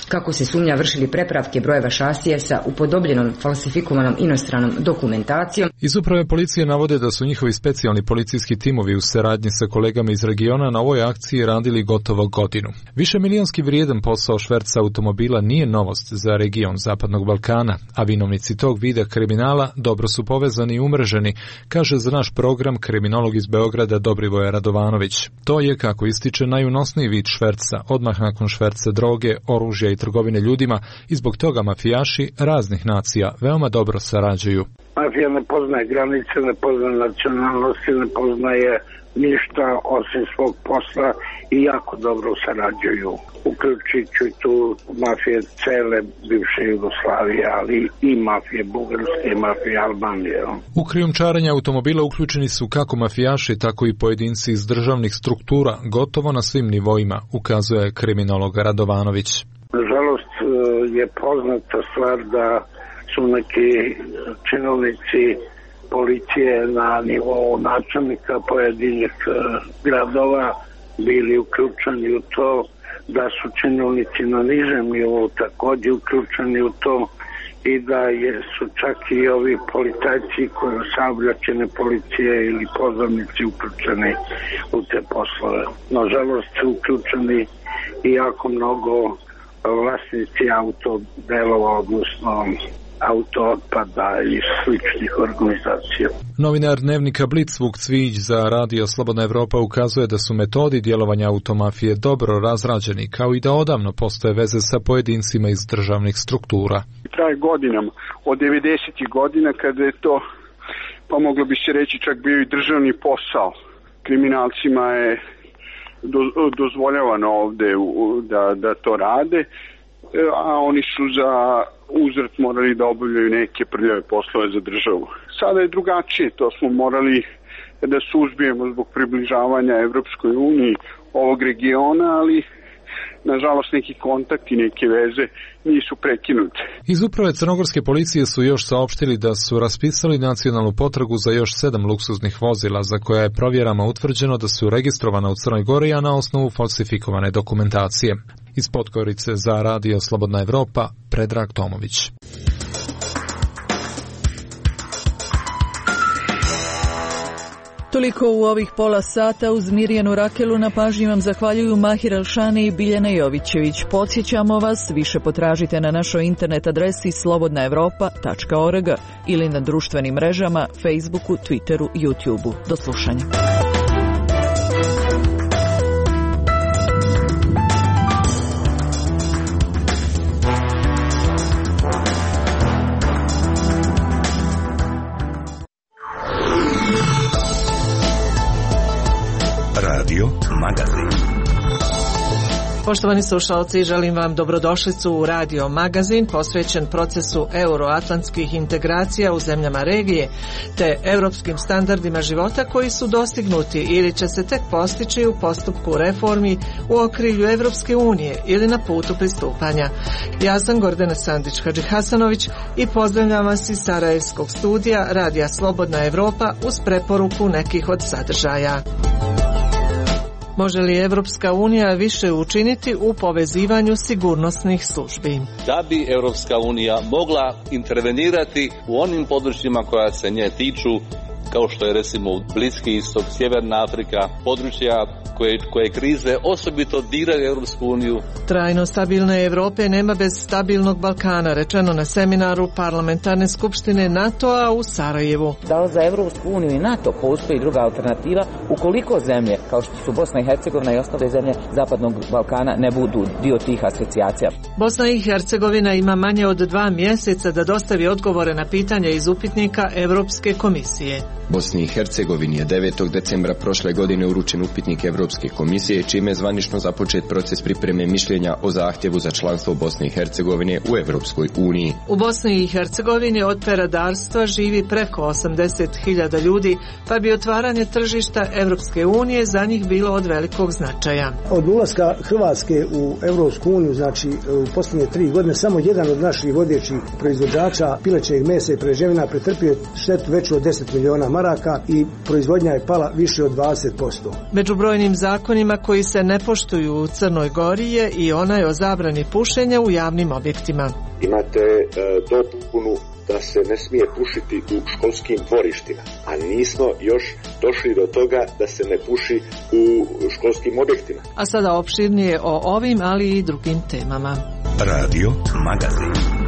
kako se sumnja, vršili prepravke brojeva šasije sa upodobljenom falsifikovanom inostranom dokumentacijom. Iz uprave policije navode da su njihovi specijalni policijski timovi u saradnji sa kolegama iz regiona na ovoj akciji radili gotovo godinu. Više milionski vrijedan posao šverca automobila nije novost za region Zapadnog Balkana, a vinovnici tog vida kriminala dobro su povezani i umreženi, kaže za naš program kriminolog iz Beograda Dobrivoje Radovanović. To je, kako ističe, najunosniji vid šverca, odmah nakon šverca droge, oružja i trgovine ljudima, i zbog toga mafijaši raznih nacija veoma dobro sarađuju. Mafija ne poznaje granice, ne poznaje nacionalnosti, ne poznaje ništa osim svog posla i jako dobro sarađuju. Uključujući tu mafije cele bivše Jugoslavije, ali i mafije Bugarske i mafije Albanije. U krijumčarenje automobila uključeni su kako mafijaši, tako i pojedinci iz državnih struktura, gotovo na svim nivoima, ukazuje kriminolog Radovanović. Nažalost je poznata stvar da su neki činovnici policije na nivou načelnika pojedinih gradova bili uključeni u to, da su činovnici na nižem nivou također uključeni u to i da je, su čak i ovi policajci koji saobraćajne policije ili pozornici uključeni u te poslove. Nažalost su uključeni i jako mnogo vlasnici autodelova, odnosno auto otpada i sličnih organizacija. Novinar dnevnika Blic Vuk Cvijić za Radio Slobodna Evropa ukazuje da su metodi djelovanja automafije dobro razrađeni, kao i da odavno postoje veze sa pojedincima iz državnih struktura. Traje godinama, od devedesetih godina, kada je to, pa moglo bi se reći, čak bio i državni posao. Kriminalcima je dozvoljavano ovde da, da to rade, a oni su za uzvrat morali da obavljaju neke prljave poslove za državu. Sada je drugačije, to smo morali da suzbijemo zbog približavanja Evropskoj uniji ovog regiona, ali nažalost neki kontakti, neke veze nisu prekinute. Iz uprave crnogorske policije su još saopštili da su raspisali nacionalnu potragu za još sedam luksuznih vozila za koja je provjerama utvrđeno da su registrovana u Crnoj Gori, a na osnovu falsifikovane dokumentacije. Iz Podgorice za Radio Slobodna Evropa, Predrag Tomović. Toliko u ovih pola sata. Uz Mirjanu Rakelu na pažnji vam zahvaljuju Mahir Alšani i Biljana Jovićević. Podsjećamo vas, više potražite na našoj internet adresi slobodna evropa tačka org ili na društvenim mrežama Facebooku, Twitteru, YouTubeu. Do slušanja. Radio Magazin. Poštovani slušalci, želim vam dobrodošlicu u Radio Magazin posvećen procesu euroatlantskih integracija u zemljama regije te europskim standardima života koji su dostignuti ili će se tek postići u postupku reformi u okrilju Evropske unije ili na putu pristupanja. Ja sam Gordana Sandić-Hadžihasanović i pozdravljam vas iz Sarajevskog studija Radija Slobodna Evropa uz preporuku nekih od sadržaja. Može li Evropska unija više učiniti u povezivanju sigurnosnih službi? Da bi Evropska unija mogla intervenirati u onim područjima koja se nje tiču, kao što je recimo Bliski istok, Sjeverna Afrika, područja koje, koje krize osobito diraju Evropsku uniju. Trajno stabilne Evrope nema bez stabilnog Balkana, rečeno na seminaru Parlamentarne skupštine NATO-a u Sarajevu. Da li za Evropsku uniju i NATO postoji druga alternativa ukoliko zemlje, kao što su Bosna i Hercegovina i ostale zemlje Zapadnog Balkana, ne budu dio tih asocijacija? Bosna i Hercegovina ima manje od dva mjeseca da dostavi odgovore na pitanja iz upitnika Evropske komisije. Bosni i Hercegovini je devetog decembra prošle godine uručen upitnik Evropske komisije, čime je zvanično započet proces pripreme mišljenja o zahtjevu za članstvo Bosne i Hercegovine u Evropskoj uniji. U Bosni i Hercegovini od peradarstva živi preko osamdeset hiljada ljudi, pa bi otvaranje tržišta Evropske unije za njih bilo od velikog značaja. Od ulaska Hrvatske u Evropsku uniju, znači u posljednje tri godine, samo jedan od naših vodećih proizvođača pilećeg mesa i prerađevina pretrpio štetu veću od deset miliona maraka i proizvodnja je pala više od dvadeset posto. Među brojnim zakonima koji se ne poštuju u Crnoj Gori je i onaj o zabrani pušenja u javnim objektima. Imate e, dopunu da se ne smije pušiti u školskim dvorištima, a nismo još došli do toga da se ne puši u školskim objektima. A sada opširnije o ovim, ali i drugim temama. Radio Magazin.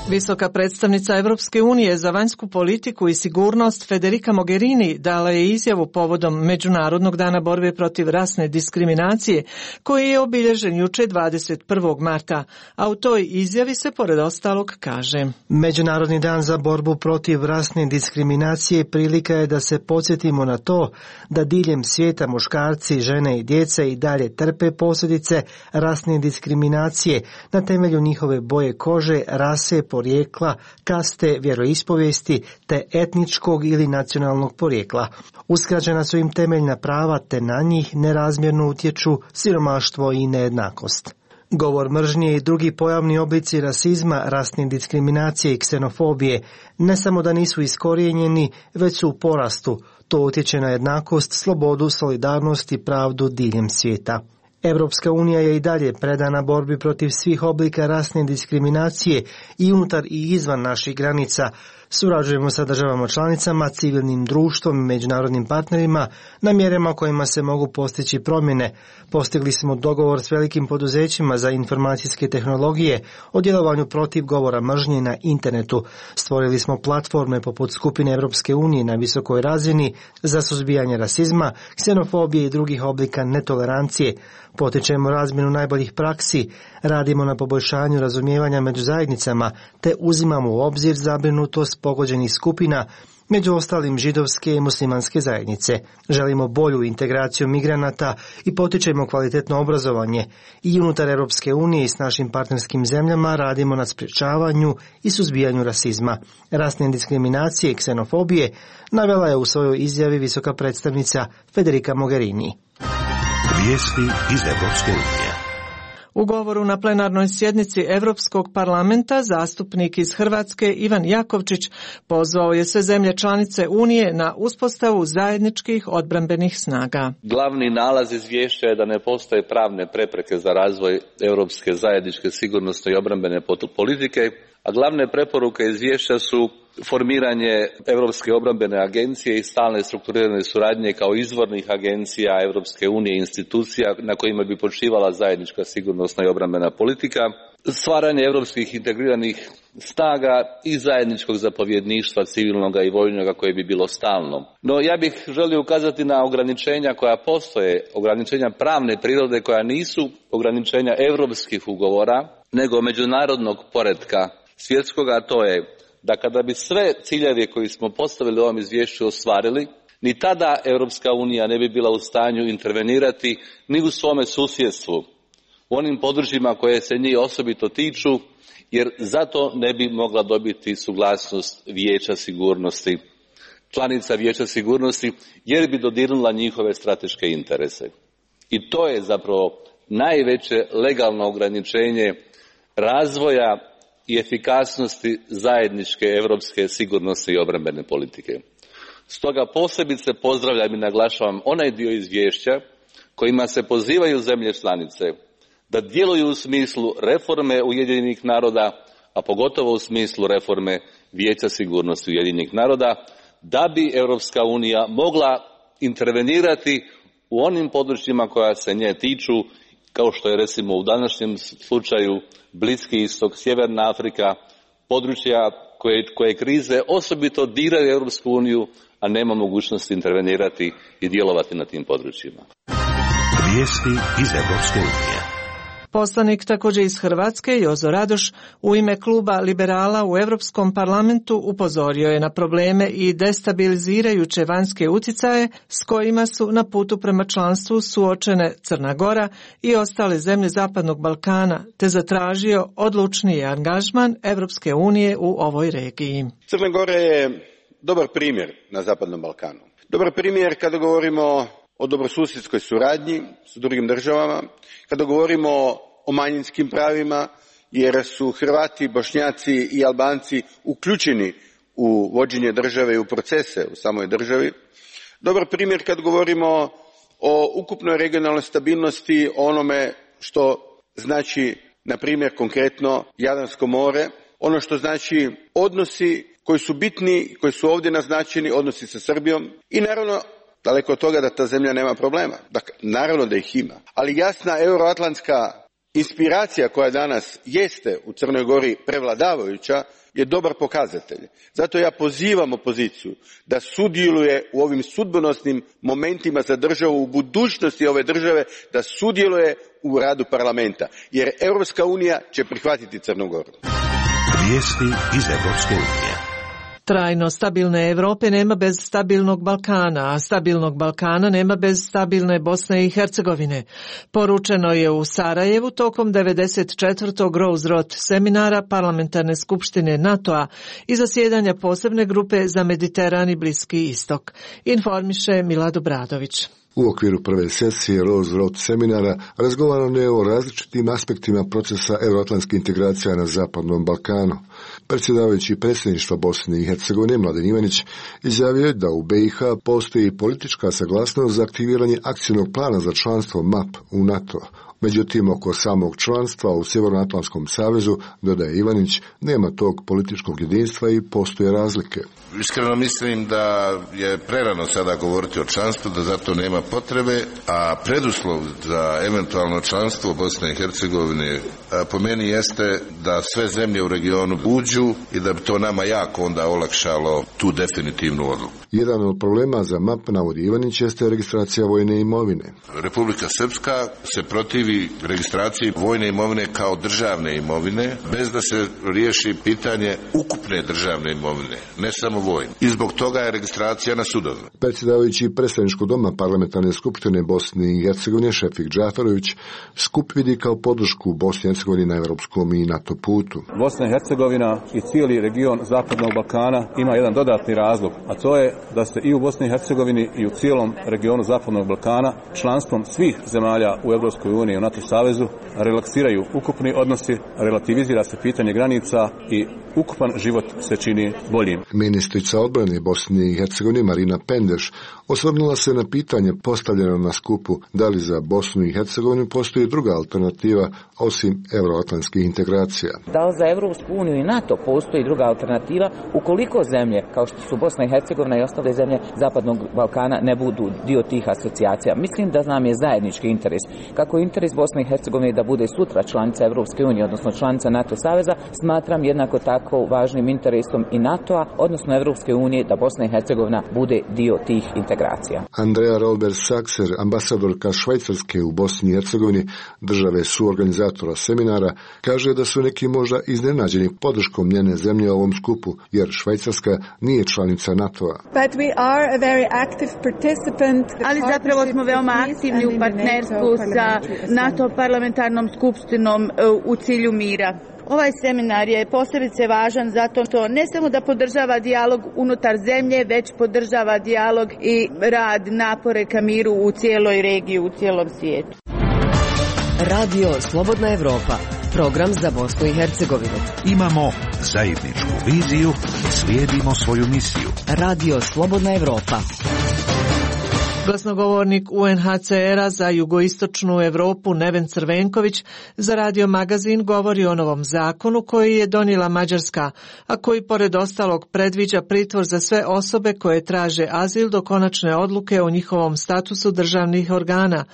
Visoka predstavnica Evropske unije za vanjsku politiku i sigurnost Federica Mogherini dala je izjavu povodom Međunarodnog dana borbe protiv rasne diskriminacije, koji je obilježen juče dvadeset prvog marta, a u toj izjavi se pored ostalog kaže: Međunarodni dan za borbu protiv rasne diskriminacije prilika je da se podsjetimo na to da diljem svijeta muškarci, žene i djeca i dalje trpe posljedice rasne diskriminacije na temelju njihove boje kože, rase, porijekla, kaste, vjeroispovijesti te etničkog ili nacionalnog porijekla. Uskraćena su im temeljna prava te na njih nerazmjerno utječu siromaštvo i nejednakost. Govor mržnje i drugi pojavni oblici rasizma, rasne diskriminacije i ksenofobije ne samo da nisu iskorijenjeni, već su u porastu. To utječe na jednakost, slobodu, solidarnost i pravdu diljem svijeta. Evropska unija je i dalje predana borbi protiv svih oblika rasne diskriminacije i unutar i izvan naših granica. Surađujemo sa državama članicama, civilnim društvom i međunarodnim partnerima na mjerama kojima se mogu postići promjene. Postigli smo dogovor s velikim poduzećima za informacijske tehnologije o djelovanju protiv govora mržnje na internetu. Stvorili smo platforme poput skupine Evropske unije na visokoj razini za suzbijanje rasizma, ksenofobije i drugih oblika netolerancije. Potičemo razmjenu najboljih praksi, radimo na poboljšanju razumijevanja među zajednicama te uzimamo u obzir zabrinutost pogođenih skupina, među ostalim židovske i muslimanske zajednice. Želimo bolju integraciju migranata i potičemo kvalitetno obrazovanje. I unutar Europske unije i s našim partnerskim zemljama radimo na sprječavanju i suzbijanju rasizma, rasne diskriminacije i ksenofobije, navela je u svojoj izjavi visoka predstavnica Federica Mogherini. Vijesti iz Evropske unije. U govoru na plenarnoj sjednici Europskog parlamenta zastupnik iz Hrvatske Ivan Jakovčić pozvao je sve zemlje članice Unije na uspostavu zajedničkih odbrambenih snaga. Glavni nalaz izvješća je da ne postoje pravne prepreke za razvoj europske zajedničke sigurnosne i obrambene politike, a glavne preporuke izvješća su formiranje Europske obrambene agencije i stalne strukturirane suradnje kao izvornih agencija Europske unije i institucija na kojima bi počivala zajednička sigurnosna i obrambena politika, stvaranje europskih integriranih snaga i zajedničkog zapovjedništva civilnoga i vojnoga koje bi bilo stalno. No ja bih želio ukazati na ograničenja koja postoje, ograničenja pravne prirode koja nisu ograničenja europskih ugovora, nego međunarodnog poretka svjetskoga, a to je da kada bi sve ciljeve koji smo postavili u ovom izvješću ostvarili, ni tada Europska unija ne bi bila u stanju intervenirati ni u svome susjedstvu, u onim područjima koje se njih osobito tiču, jer zato ne bi mogla dobiti suglasnost Vijeća sigurnosti, članica Vijeća sigurnosti, jer bi dodirnula njihove strateške interese. I to je zapravo najveće legalno ograničenje razvoja i efikasnosti zajedničke europske sigurnosne i obrambene politike. Stoga posebice pozdravljam i naglašavam onaj dio izvješća kojima se pozivaju zemlje članice da djeluju u smislu reforme Ujedinjenih naroda, a pogotovo u smislu reforme Vijeća sigurnosti Ujedinjenih naroda, da bi Europska unija mogla intervenirati u onim područjima koja se nje tiču, kao što je recimo u današnjem slučaju Bliski istok, Sjeverna Afrika, područja koje, koje krize osobito diraju Europsku uniju, a nema mogućnosti intervenirati i djelovati na tim područjima. Vijesti iz Europske unije. Poslanik također iz Hrvatske, Jozo Radoš, u ime kluba liberala u Europskom parlamentu upozorio je na probleme i destabilizirajuće vanjske utjecaje s kojima su na putu prema članstvu suočene Crna Gora i ostale zemlje Zapadnog Balkana, te zatražio odlučniji angažman Europske unije u ovoj regiji. Crna Gora je dobar primjer na Zapadnom Balkanu. Dobar primjer kada govorimo o dobrosusjedskoj suradnji s drugim državama, kada govorimo o manjinskim pravima, jer su Hrvati, Bošnjaci i Albanci uključeni u vođenje države i u procese u samoj državi. Dobar primjer kad govorimo o ukupnoj regionalnoj stabilnosti, o onome što znači, na primjer, konkretno Jadransko more, ono što znači odnosi koji su bitni, koji su ovdje naznačeni, odnosi sa Srbijom i naravno daleko od toga da ta zemlja nema problema. Dakle, naravno da ih ima. Ali jasna euroatlantska inspiracija koja danas jeste u Crnoj Gori prevladavajuća je dobar pokazatelj. Zato ja pozivam opoziciju da sudjeluje u ovim sudbonosnim momentima za državu, u budućnosti ove države, da sudjeluje u radu parlamenta. Jer Europska unija će prihvatiti Crnu Goru. Vijesti iz Europske unije. Trajno stabilne Europe nema bez stabilnog Balkana, a stabilnog Balkana nema bez stabilne Bosne i Hercegovine. Poručeno je u Sarajevu tokom devedeset četvrtog Rose Road seminara Parlamentarne skupštine NATO-a i zasjedanja posebne grupe za Mediteran i Bliski istok. Informiše Milad Obradović. U okviru prve sesije Rose Road seminara razgovarano je o različitim aspektima procesa euroatlantskih integracija na Zapadnom Balkanu. Predsjedavajući predsjedništva Bosne i Hercegovine Mladen Ivanić izjavio je da u B i H postoji politička saglasnost za aktiviranje akcijnog plana za članstvo M A P u NATO. Međutim, oko samog članstva u Sjevernoatlantskom savezu, dodaje Ivanić, nema tog političkog jedinstva i postoje razlike. Iskreno mislim da je prerano sada govoriti o članstvu, da zato nema potrebe, a preduslov za eventualno članstvo Bosne i Hercegovine po meni jeste da sve zemlje u regionu uđu i da bi to nama jako onda olakšalo tu definitivnu odluku. Jedan od problema za M A P, navodi Ivanić, jeste registracija vojne imovine. Republika Srpska se protivi registraciji vojne imovine kao državne imovine, bez da se riješi pitanje ukupne državne imovine, ne samo vojne. I zbog toga je registracija na sudovima. Predsjedavajući predstavničkog doma Parlamentarne skupštine Bosne i Hercegovine Šefik Džaferović skup vidi kao podršku Bosne i Hercegovine na europskom i NATO putu. Bosna i Hercegovina i cijeli region Zapadnog Balkana ima jedan dodatni razlog, a to je da se i u Bosni i Hercegovini i u cijelom regionu Zapadnog Balkana članstvom svih zemalja u Europskoj uniji i u NATO savezu relaksiraju ukupni odnosi, relativizira se pitanje granica i ukupan život se čini boljim. Ministar ministrica odbrane Bosne i Hercegovine Marina Pendeš osvrnula se na pitanje postavljeno na skupu da li za Bosnu i Hercegovinu postoji druga alternativa osim euroatlantskih integracija. Da li za Evropsku uniju i NATO postoji druga alternativa ukoliko zemlje kao što su Bosna i Hercegovina i ostale zemlje Zapadnog Balkana ne budu dio tih asocijacija. Mislim da nam je zajednički interes. Kako je interes Bosne i Hercegovine da bude sutra članica Evropske unije, odnosno članica NATO saveza, smatram jednako tako važnim interesom i NATO-a, odnosno Evropske unije, da Bosna i Hercegovina bude dio tih integracija. Andrea Rolber-Sakser, ambasadorka Švajcarske u Bosni i Hercegovini, države suorganizatora seminara, kaže da su neki možda iznenađeni podrškom njene zemlje ovom skupu, jer Švajcarska nije članica NATO-a. Ali zapravo smo veoma aktivni u partnerstvu sa NATO parlamentarnom skupštinom u cilju mira. Ovaj seminar je posebice važan zato što ne samo da podržava dijalog unutar zemlje, već podržava dijalog i rad, napore ka miru u cijeloj regiji, u cijelom svijetu. Radio Slobodna Evropa, program za Bosnu i Hercegovinu. Imamo zajedničku viziju i slijedimo svoju misiju. Radio Slobodna Evropa. Glasnogovornik U N H C R-a za jugoistočnu Evropu Neven Crvenković za Radio Magazin govori o novom zakonu koji je donijela Mađarska, a koji pored ostalog predviđa pritvor za sve osobe koje traže azil do konačne odluke o njihovom statusu državnih organa.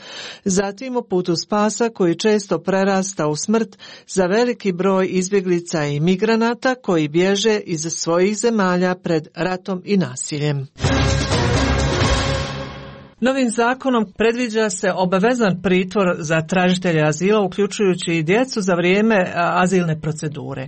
Zatim o putu spasa koji često prerasta u smrt za veliki broj izbjeglica i migranata koji bježe iz svojih zemalja pred ratom i nasiljem. Novim zakonom predviđa se obavezan pritvor za tražitelje azila, uključujući i djecu za vrijeme azilne procedure.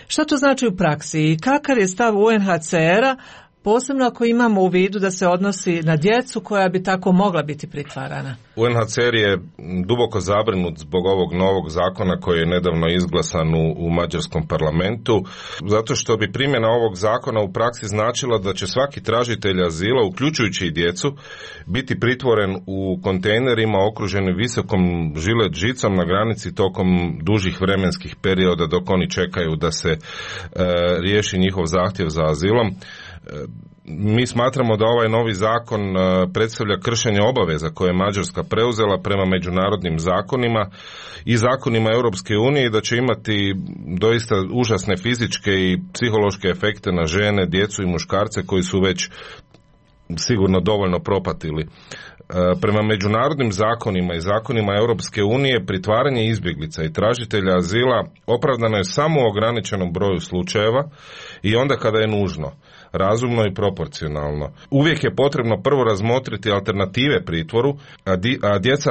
Što to znači u praksi i kakav je stav U N H C R-a, posebno ako imamo u vidu da se odnosi na djecu koja bi tako mogla biti pritvarana? U N H C R je duboko zabrinut zbog ovog novog zakona koji je nedavno izglasan u, u mađarskom parlamentu, zato što bi primjena ovog zakona u praksi značila da će svaki tražitelj azila, uključujući i djecu, biti pritvoren u kontejnerima okruženi visokom žilet žicom na granici tokom dužih vremenskih perioda dok oni čekaju da se e, riješi njihov zahtjev za azilom. Mi smatramo da ovaj novi zakon predstavlja kršenje obaveza koje je Mađarska preuzela prema međunarodnim zakonima i zakonima Europske unije i da će imati doista užasne fizičke i psihološke efekte na žene, djecu i muškarce koji su već sigurno dovoljno propatili. Prema međunarodnim zakonima i zakonima Europske unije pritvaranje izbjeglica i tražitelja azila opravdano je samo u ograničenom broju slučajeva i onda kada je nužno, razumno i proporcionalno. Uvijek je potrebno prvo razmotriti alternative pritvoru, a, di, a djeca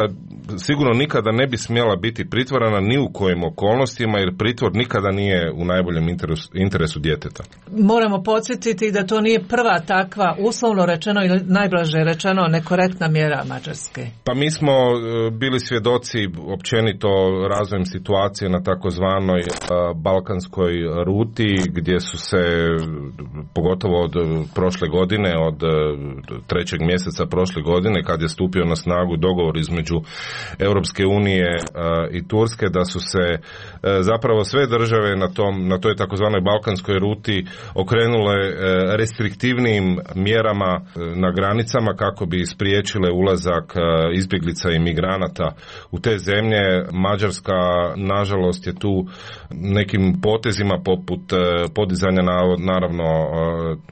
sigurno nikada ne bi smjela biti pritvorana ni u kojim okolnostima, jer pritvor nikada nije u najboljem interesu, interesu djeteta. Moramo podsjetiti da to nije prva takva, uslovno rečeno ili najblaže rečeno, nekorektna mjera Mađarske. Pa mi smo bili svjedoci općenito razvojem situacije na takozvanoj balkanskoj ruti, gdje su se pogotovo od prošle godine, od trećeg mjeseca prošle godine, kad je stupio na snagu dogovor između Europske unije i Turske, da su se zapravo sve države na tom, na toj takozvanoj balkanskoj ruti okrenule restriktivnijim mjerama na granicama kako bi spriječile ulazak izbjeglica i migranata u te zemlje. Mađarska, nažalost, je tu nekim potezima poput podizanja naravno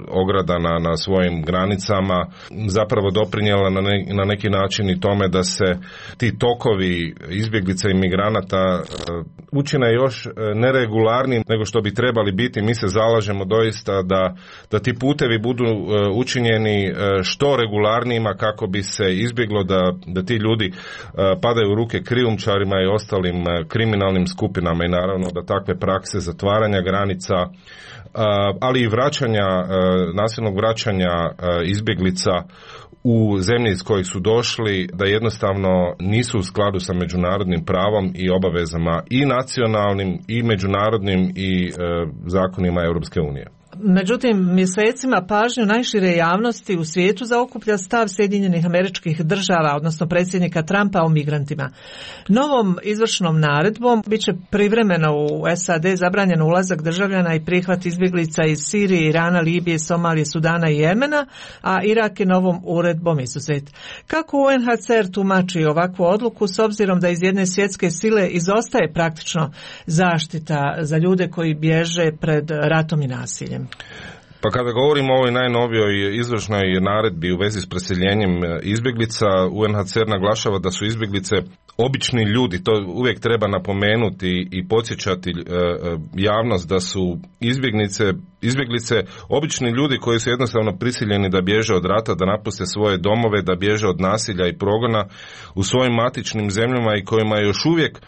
ograda na, na svojim granicama zapravo doprinijela na, ne, na neki način i tome da se ti tokovi izbjeglica i migranata učine još neregularnijim nego što bi trebali biti. Mi se zalažemo doista da, da ti putevi budu učinjeni što regularnijima kako bi se izbjeglo da, da ti ljudi padaju u ruke krijumčarima i ostalim kriminalnim skupinama i naravno da takve prakse zatvaranja granica, ali i vraćanja, nasilnog vraćanja izbjeglica u zemlji iz kojih su došli, da jednostavno nisu u skladu sa međunarodnim pravom i obavezama i nacionalnim i međunarodnim i e, zakonima Europske unije. Međutim, mjesecima pažnju najšire javnosti u svijetu zaokuplja stav Sjedinjenih Američkih Država, odnosno predsjednika Trumpa o migrantima. Novom izvršnom naredbom bit će privremeno u S A D zabranjen ulazak državljana i prihvat izbjeglica iz Sirije, Irana, Libije, Somalije, Sudana i Jemena, a Irak je novom uredbom izuzet. Kako U N H C R tumači ovakvu odluku s obzirom da iz jedne svjetske sile izostaje praktično zaštita za ljude koji bježe pred ratom i nasiljem? Pa kada govorimo o ovoj najnovijoj izvršnoj naredbi u vezi s preseljenjem izbjeglica, U N H C R naglašava da su izbjeglice obični ljudi. To uvijek treba napomenuti i podsjećati javnost da su izbjeglice, izbjeglice obični ljudi koji su jednostavno prisiljeni da bježe od rata, da napuste svoje domove, da bježe od nasilja i progona u svojim matičnim zemljama i kojima je još uvijek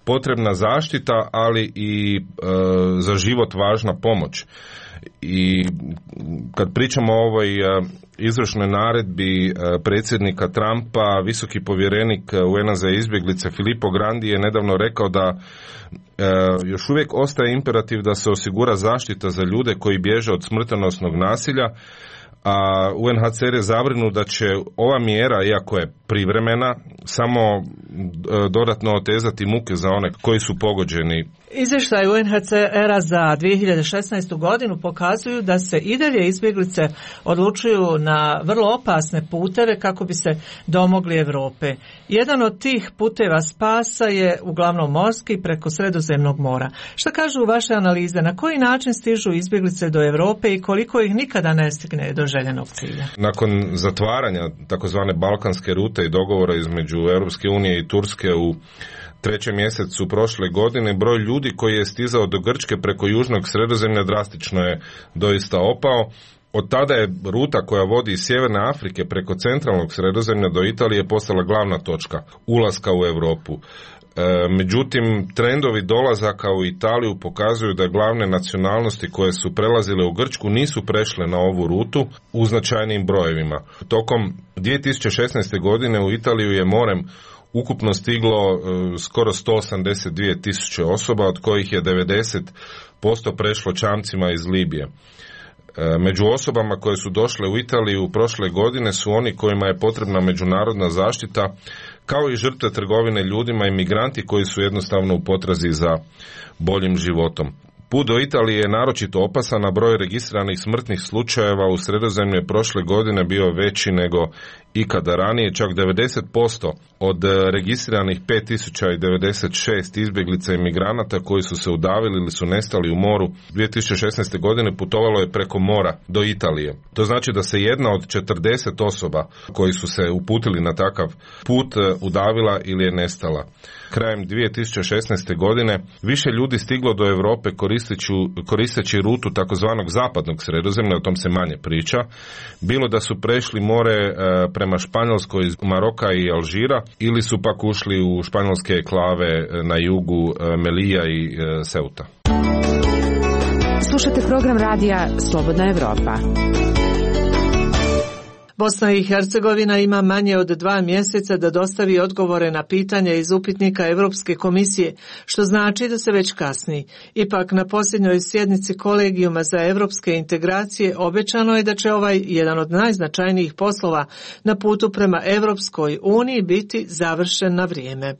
potrebna zaštita, ali i e, za život važna pomoć. I kad pričamo o ovoj izvršnoj naredbi predsjednika Trumpa, visoki povjerenik U N-a za izbjeglice Filippo Grandi je nedavno rekao da još uvijek ostaje imperativ da se osigura zaštita za ljude koji bježe od smrtonosnog nasilja, a U N H C R je zabrinut da će ova mjera, iako je privremena, samo dodatno otezati muke za one koji su pogođeni. Izvještaj U N H C R-a za dvije hiljade šesnaestu. godinu pokazuju da se i dalje izbjeglice odlučuju na vrlo opasne puteve kako bi se domogli Europe. Jedan od tih puteva spasa je uglavnom morski preko Sredozemnog mora. Šta kažu vaše analize? Na koji način stižu izbjeglice do Europe i koliko ih nikada ne stigne do željenog cilja? Nakon zatvaranja takozvane balkanske rute i dogovora između Europske unije i Turske u trećem mjesecu prošle godine, broj ljudi koji je stizao do Grčke preko južnog Sredozemlja drastično je doista opao. Od tada je ruta koja vodi iz Sjeverne Afrike preko centralnog Sredozemlja do Italije postala glavna točka ulaska u Europu. E, međutim, trendovi dolazaka u Italiju pokazuju da glavne nacionalnosti koje su prelazile u Grčku nisu prešle na ovu rutu u značajnim brojevima. Tokom dvije tisuće šesnaeste. godine u Italiju je morem ukupno stiglo e, skoro sto osamdeset dvije tisuće osoba, od kojih je devedeset posto prešlo čamcima iz Libije. E, među osobama koje su došle u Italiju prošle godine su oni kojima je potrebna međunarodna zaštita, kao i žrtve trgovine ljudima i migranti koji su jednostavno u potrazi za boljim životom. Put do Italije je naročito opasan, a broj registriranih smrtnih slučajeva u Sredozemlju je prošle godine bio veći nego ikada ranije. Čak devedeset posto od registriranih pet tisuća devedeset šest izbjeglica i migranata koji su se udavili ili su nestali u moru dvije tisuće šesnaeste. godine putovalo je preko mora do Italije. To znači da se jedna od četrdeset osoba koji su se uputili na takav put udavila ili je nestala. Krajem dvije tisuće šesnaeste. godine više ljudi stiglo do Europe koristeći, koristeći rutu takozvanog zapadnog Sredozemlja, o tom se manje priča, bilo da su prešli more e, prema Španjolskoj, Maroka i Alžira, ili su pak ušli u španjolske enklave na jugu e, Melija i e, Ceuta. Slušate program radija Slobodna Evropa. Bosna i Hercegovina ima manje od dva mjeseca da dostavi odgovore na pitanja iz upitnika Europske komisije, što znači da se već kasni. Ipak na posljednjoj sjednici Kolegijuma za europske integracije obećano je da će ovaj jedan od najznačajnijih poslova na putu prema Europskoj uniji biti završen na vrijeme.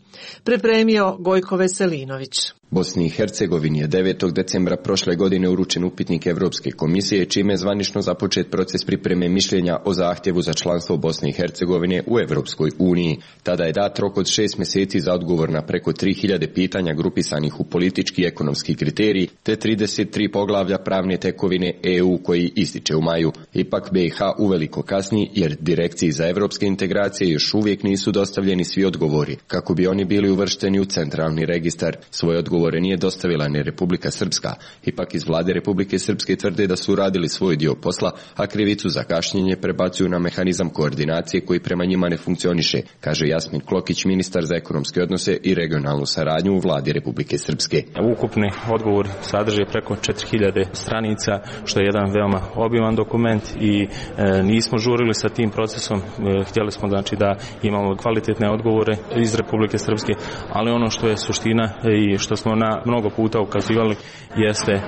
Pripremio Gojko Veselinović. Bosni i Hercegovini je devetog decembra prošle godine uručen upitnik Europske komisije, čime je zvanično započet proces pripreme mišljenja o zahtjevu za članstvo Bosne i Hercegovine u Europskoj uniji. Tada je dat rok od šest mjeseci za odgovor na preko tri hiljade pitanja grupisanih u politički i ekonomski kriterij, te trideset tri poglavlja pravne tekovine E U koji ističe u maju. Ipak B i H uveliko kasni jer Direkciji za europske integracije još uvijek nisu dostavljeni svi odgovori, kako bi oni bili uvršteni u centralni registar. Svoj odgovor nije dostavila ni Republika Srpska. Ipak iz vlade Republike Srpske tvrde da su uradili svoj dio posla, a krivicu za kašnjenje prebacuju na mehanizam koordinacije koji prema njima ne funkcioniše, kaže Jasmin Klokić, ministar za ekonomske odnose i regionalnu saradnju u vladi Republike Srpske. Ukupni odgovor sadrži preko četiri hiljade stranica, što je jedan veoma obiman dokument i e, nismo žurili sa tim procesom. E, htjeli smo znači da imamo kvalitetne odgovore iz Republike Srpske, ali ono što je suština i što smo smo na mnogo puta ukazivali jeste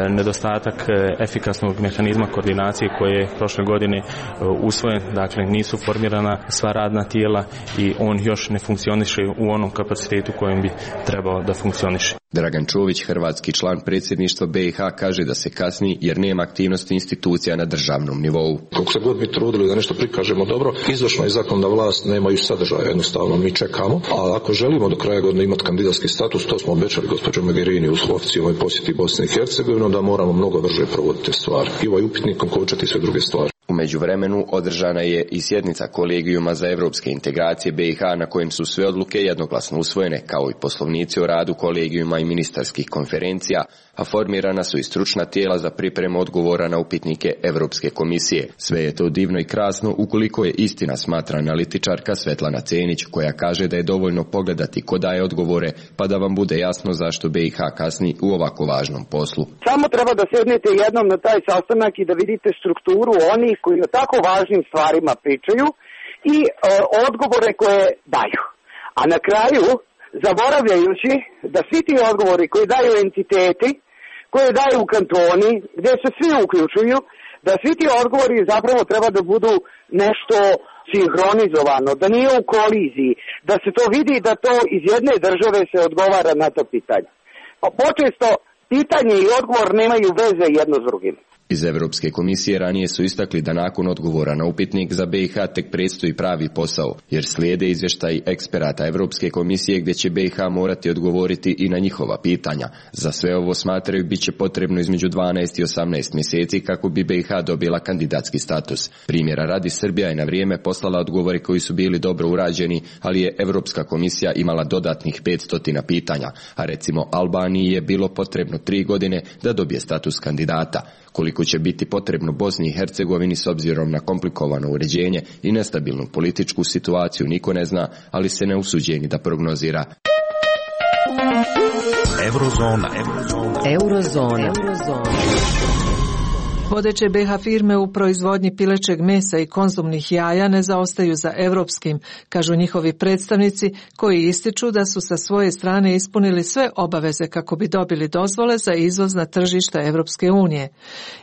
nedostatak efikasnog mehanizma koordinacije koje je prošle godine usvojen, dakle nisu formirana sva radna tijela i on još ne funkcioniše u onom kapacitetu kojem bi trebao da funkcioniše. Dragan Čović, hrvatski član predsjedništva B i H, kaže da se kasni jer nema aktivnosti institucija na državnom nivou. Kako se god mi trudili da nešto prikažemo dobro, izvršna i zakonodavna vlast nemaju sadržaja, jednostavno mi čekamo, a ako želimo do kraja godine imati kandidatski status, to smo obećali gospođo Mogherini u oficijalnoj posjeti Bosne i Hercegovine, da moramo mnogo brže provoditi stvari i ovaj upitnik okončati sve druge stvari. U međuvremenu održana je i sjednica Kolegijuma za evropske integracije B i H na kojem su sve odluke jednoglasno usvojene, kao i poslovnici o radu kolegijuma i ministarskih konferencija, a formirana su i stručna tijela za pripremu odgovora na upitnike Evropske komisije. Sve je to divno i krasno ukoliko je istina, smatra analitičarka Svetlana Cenić, koja kaže da je dovoljno pogledati ko daje odgovore, pa da vam bude jasno zašto B i H kasni u ovako važnom poslu. Samo treba da sjednete jednom na taj sastanak i da vidite strukturu onih koji o tako važnim stvarima pričaju i e, odgovore koje daju. A na kraju, zaboravljajući da svi ti odgovori koje daju entiteti, koje daju kantoni, gdje se svi uključuju, da svi ti odgovori zapravo treba da budu nešto sinhronizovano, da nije u koliziji, da se to vidi da to iz jedne države se odgovara na to pitanje. Pa počesto pitanje i odgovor nemaju veze jedno s drugim. Iz Evropske komisije ranije su istakli da nakon odgovora na upitnik za B i H tek predstoji pravi posao, jer slijede izvještaj eksperata Evropske komisije gdje će B i H morati odgovoriti i na njihova pitanja. Za sve ovo smatraju bit će potrebno između dvanaest i osamnaest mjeseci kako bi B i H dobila kandidatski status. Primjera radi, Srbija je na vrijeme poslala odgovore koji su bili dobro urađeni, ali je Evropska komisija imala dodatnih petsto pitanja, a recimo Albaniji je bilo potrebno tri godine da dobije status kandidata. Koliko će biti potrebno Bosni i Hercegovini s obzirom na komplikovano uređenje i nestabilnu političku situaciju niko ne zna, ali se ne usuđeni da prognozira. Eurozona. Eurozona. Eurozona. Vodeće B i H firme u proizvodnji pilećeg mesa i konzumnih jaja ne zaostaju za europskim, kažu njihovi predstavnici, koji ističu da su sa svoje strane ispunili sve obaveze kako bi dobili dozvole za izvoz na tržišta Europske unije.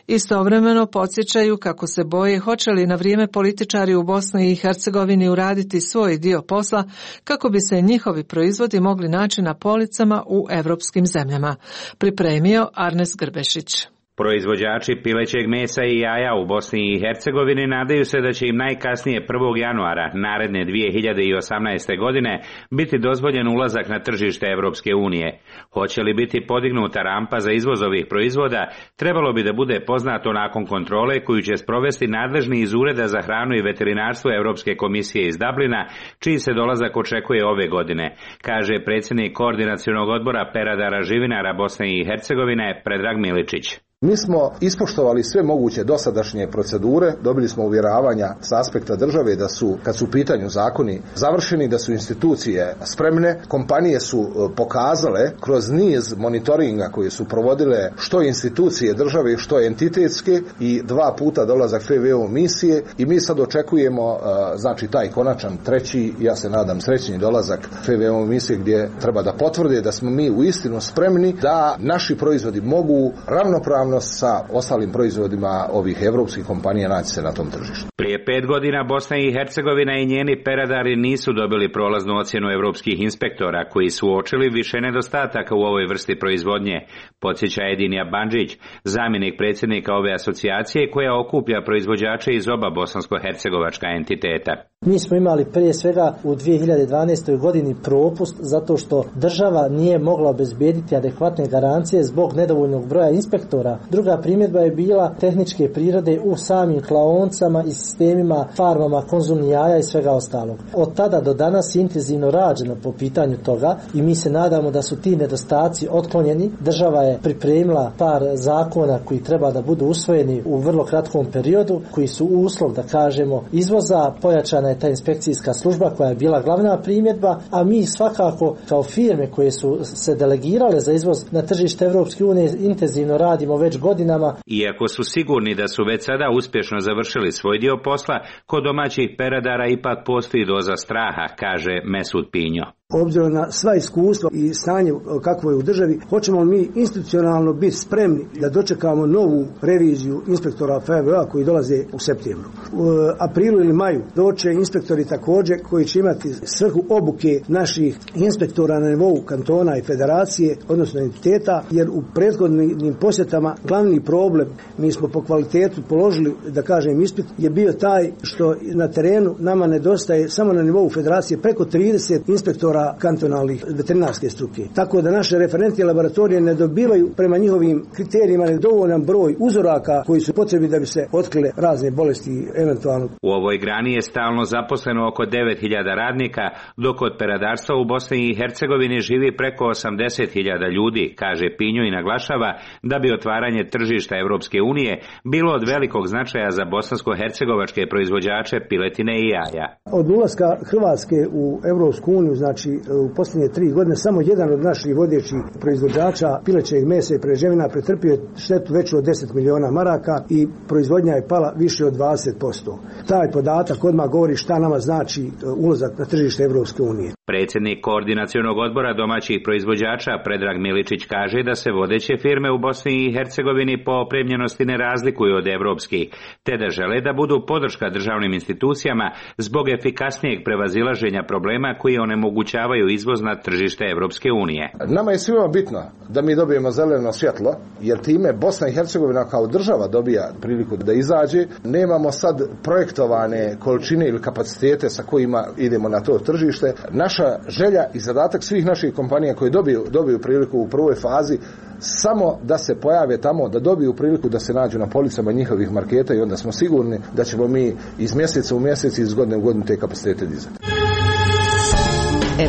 Istovremeno podsjećaju kako se boje hoće li na vrijeme političari u Bosni i Hercegovini uraditi svoj dio posla kako bi se njihovi proizvodi mogli naći na policama u europskim zemljama. Pripremio Arnes Grbešić. Proizvođači pilećeg mesa i jaja u Bosni i Hercegovini nadaju se da će im najkasnije prvog januara naredne dvije hiljade osamnaeste. godine biti dozvoljen ulazak na tržište Evropske unije. Hoće li biti podignuta rampa za izvoz ovih proizvoda, trebalo bi da bude poznato nakon kontrole koju će sprovesti nadležni iz Ureda za hranu i veterinarstvo Evropske komisije iz Dublina, čiji se dolazak očekuje ove godine, kaže predsjednik koordinacionog odbora peradara živinara Bosne i Hercegovine Predrag Miličić. Mi smo ispoštovali sve moguće dosadašnje procedure, dobili smo uvjeravanja sa aspekta države da su, kad su u pitanju zakoni, završeni, da su institucije spremne. Kompanije su pokazale kroz niz monitoringa koje su provodile što institucije države, što entitetske i dva puta dolazak F V O misije i mi sad očekujemo znači taj konačan treći, ja se nadam srećni dolazak F V O misije gdje treba da potvrde da smo mi uistinu spremni da naši proizvodi mogu ravnopravno sa ostalim proizvodima ovih evropskih kompanija naći se na tom tržištu. Prije pet godina Bosna i Hercegovina i njeni peradari nisu dobili prolaznu ocjenu evropskih inspektora koji su uočili više nedostataka u ovoj vrsti proizvodnje, podsjeća Edinja Bandžić, zamjenik predsjednika ove asocijacije koja okuplja proizvođače iz oba bosansko-hercegovačka entiteta. Mi smo imali prije svega u dvije hiljade dvanaestoj. godini propust zato što država nije mogla obezbijediti adekvatne garancije zbog nedovoljnog broja inspektora. Druga primjedba je bila tehničke prirode u samim klaonicama i sistemima, farmama, konzumnih jaja i svega ostalog. Od tada do danas je intenzivno rađeno po pitanju toga i mi se nadamo da su ti nedostaci otklonjeni. Država je pripremila par zakona koji treba da budu usvojeni u vrlo kratkom periodu, koji su uslov, da kažemo, izvoza. Pojačana je ta inspekcijska služba koja je bila glavna primjedba, a mi svakako kao firme koje su se delegirale za izvoz na tržište Evropske unije intenzivno radimo već godinama. Iako su sigurni da su već sada uspješno završili svoj dio posla, kod domaćih peradara ipak postoji doza straha, kaže Mesud Pinjo. Obzirom na sva iskustva i stanje kakvo je u državi, hoćemo mi institucionalno biti spremni da dočekamo novu reviziju inspektora F V A koji dolaze u septembru. U aprilu ili maju doće inspektori također koji će imati svrhu obuke naših inspektora na nivou kantona i federacije, odnosno entiteta, jer u prethodnim posjetama glavni problem, mi smo po kvalitetu položili, da kažem, ispit, je bio taj što na terenu nama nedostaje samo na nivou federacije preko trideset inspektora kantonalnih veterinarske struke. Tako da naše referentne laboratorije ne dobivaju prema njihovim kriterijima nedovoljan broj uzoraka koji su potrebni da bi se otkrile razne bolesti eventualno. U ovoj grani je stalno zaposleno oko devet hiljada radnika, dok od peradarstva u Bosni i Hercegovini živi preko osamdeset hiljada ljudi, kaže Pinjo i naglašava da bi otvaranje tržišta Evropske unije bilo od velikog značaja za bosansko-hercegovačke proizvođače piletine i jaja. Od ulaska Hrvatske u Evropsku uniju, znači u posljednje tri godine, samo jedan od naših vodećih proizvođača pilećeg mesa i prerađevina pretrpio štetu veću od deset miliona maraka i proizvodnja je pala više od dvadeset posto. Taj podatak odmah govori šta nama znači ulazak na tržište Evropske unije. Predsjednik Koordinacionog odbora domaćih proizvođača Predrag Miličić kaže da se vodeće firme u Bosni i Hercegovini po opremljenosti ne razlikuju od evropskih, te da žele da budu podrška državnim institucijama zbog efikasnijeg prevazilaženja problema koji onemogućavaju izvoz na tržište Evropske unije. Nama je svima bitno da mi dobijemo zeleno svjetlo, jer time Bosna i Hercegovina kao država dobija priliku da izađe. Nemamo sad projektovane količine ili kapacitete sa kojima idemo na to tržište. Naša želja i zadatak svih naših kompanija koji dobiju, dobiju priliku u prvoj fazi samo da se pojave tamo, da dobiju priliku da se nađu na policama njihovih marketa i onda smo sigurni da ćemo mi iz mjeseca u mjesec i iz godine u godinu te kapacitete dizati.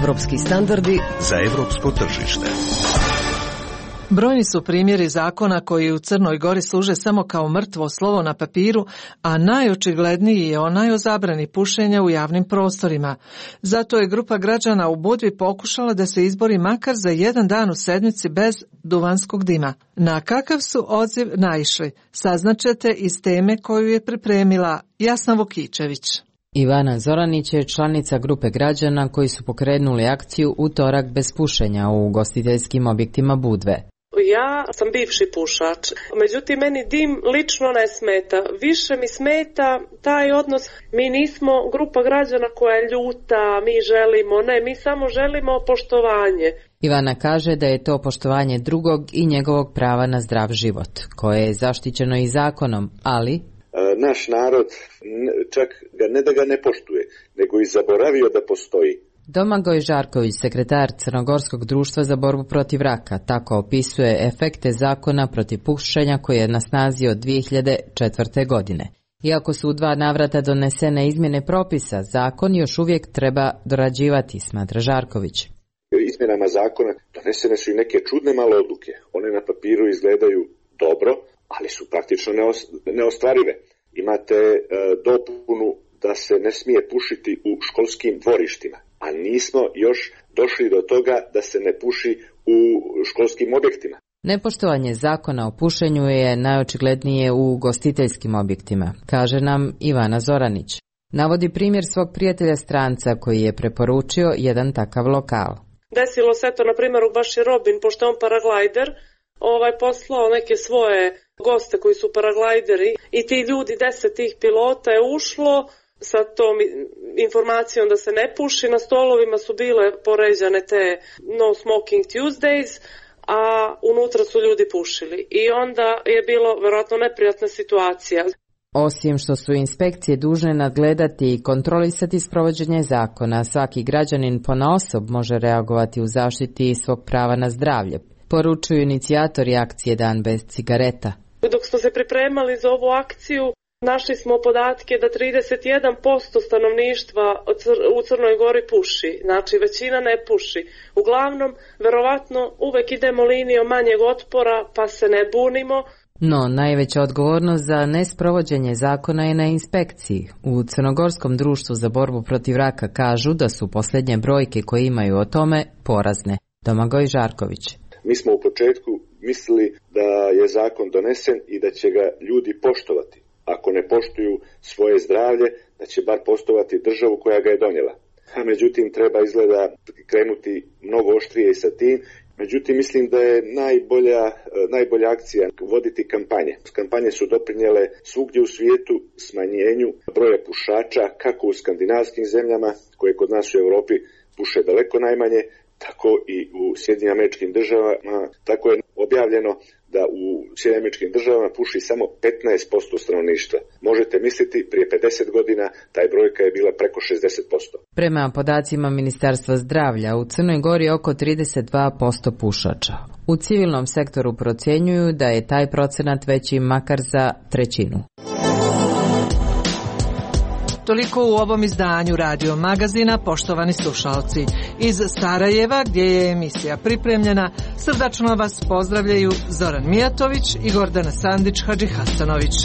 Evropski standardi za evropsko tržište. Brojni su primjeri zakona koji u Crnoj Gori služe samo kao mrtvo slovo na papiru, a najočigledniji je onaj o zabrani pušenja u javnim prostorima. Zato je grupa građana u Budvi pokušala da se izbori makar za jedan dan u sedmici bez duvanskog dima. Na kakav su odziv naišli, saznaćete iz teme koju je pripremila Jasna Vukičević. Ivana Zoranić je članica grupe građana koji su pokrenuli akciju Utorak bez pušenja u ugostiteljskim objektima Budve. Ja sam bivši pušač, međutim meni dim lično ne smeta. Više mi smeta taj odnos, mi nismo grupa građana koja je ljuta, mi želimo, ne, mi samo želimo poštovanje. Ivana kaže da je to poštovanje drugog i njegovog prava na zdrav život, koje je zaštićeno i zakonom, ali... Naš narod čak ga ne da ga ne poštuje, nego i zaboravio da postoji. Domagoj Žarković, sekretar Crnogorskog društva za borbu protiv raka, tako opisuje efekte zakona protiv pušenja koji je na snazi od dvije hiljade četvrte. godine. Iako su u dva navrata donesene izmjene propisa, zakon još uvijek treba dorađivati, smatra Žarković. Izmjenama zakona donesene su i neke čudne male odluke. One na papiru izgledaju dobro, ali su praktično neostvarive. Imate e, dopunu da se ne smije pušiti u školskim dvorištima, a nismo još došli do toga da se ne puši u školskim objektima. Nepoštovanje zakona o pušenju je najočiglednije u ugostiteljskim objektima, kaže nam Ivana Zoranić. Navodi primjer svog prijatelja stranca koji je preporučio jedan takav lokal. Desilo se to, na primjer, u Baši Robin, pošto je on paraglajder, ovaj poslao neke svoje goste koji su paraglajderi i ti ljudi, deset tih pilota je ušlo sa tom informacijom da se ne puši. Na stolovima su bile poređane te No Smoking Tuesdays, a unutra su ljudi pušili. I onda je bilo vjerojatno neprijatna situacija. Osim što su inspekcije dužne nadgledati i kontrolisati sprovođenje zakona, svaki građanin ponaosob može reagovati u zaštiti svog prava na zdravlje, poručuju inicijatori akcije Dan bez cigareta. Dok smo se pripremali za ovu akciju, našli smo podatke da trideset jedan posto stanovništva u Crnoj Gori puši, znači većina ne puši. Uglavnom, verovatno uvek idemo linijom manjeg otpora pa se ne bunimo. No, najveća odgovornost za nesprovođenje zakona je na inspekciji. U Crnogorskom društvu za borbu protiv raka kažu da su posljednje brojke koje imaju o tome porazne. Domagoj Žarković. Mi smo u početku mislili da je zakon donesen i da će ga ljudi poštovati. Ako ne poštuju svoje zdravlje, da će bar poštovati državu koja ga je donijela. a međutim treba izgleda krenuti mnogo oštrije i sa tim. Međutim, mislim da je najbolja, najbolja akcija voditi kampanje. Kampanje su doprinjele svugdje u svijetu smanjenju broja pušača, kako u skandinavskim zemljama, koje kod nas u Europi puše daleko najmanje, tako i u Sjedinjenim Američkim Državama. Tako je objavljeno da u Sjedinjenim Američkim Državama puši samo petnaest posto stanovništva. Možete misliti, prije pedeset godina taj brojka je bila preko šezdeset posto. Prema podacima Ministarstva zdravlja, u Crnoj Gori je oko trideset dva posto pušača. U civilnom sektoru procjenjuju da je taj procenat veći makar za trećinu. Toliko u ovom izdanju Radio Magazina, poštovani slušalci. Iz Sarajeva, gdje je emisija pripremljena, srdačno vas pozdravljaju Zoran Mijatović i Gordana Sandić Hadžihasanović.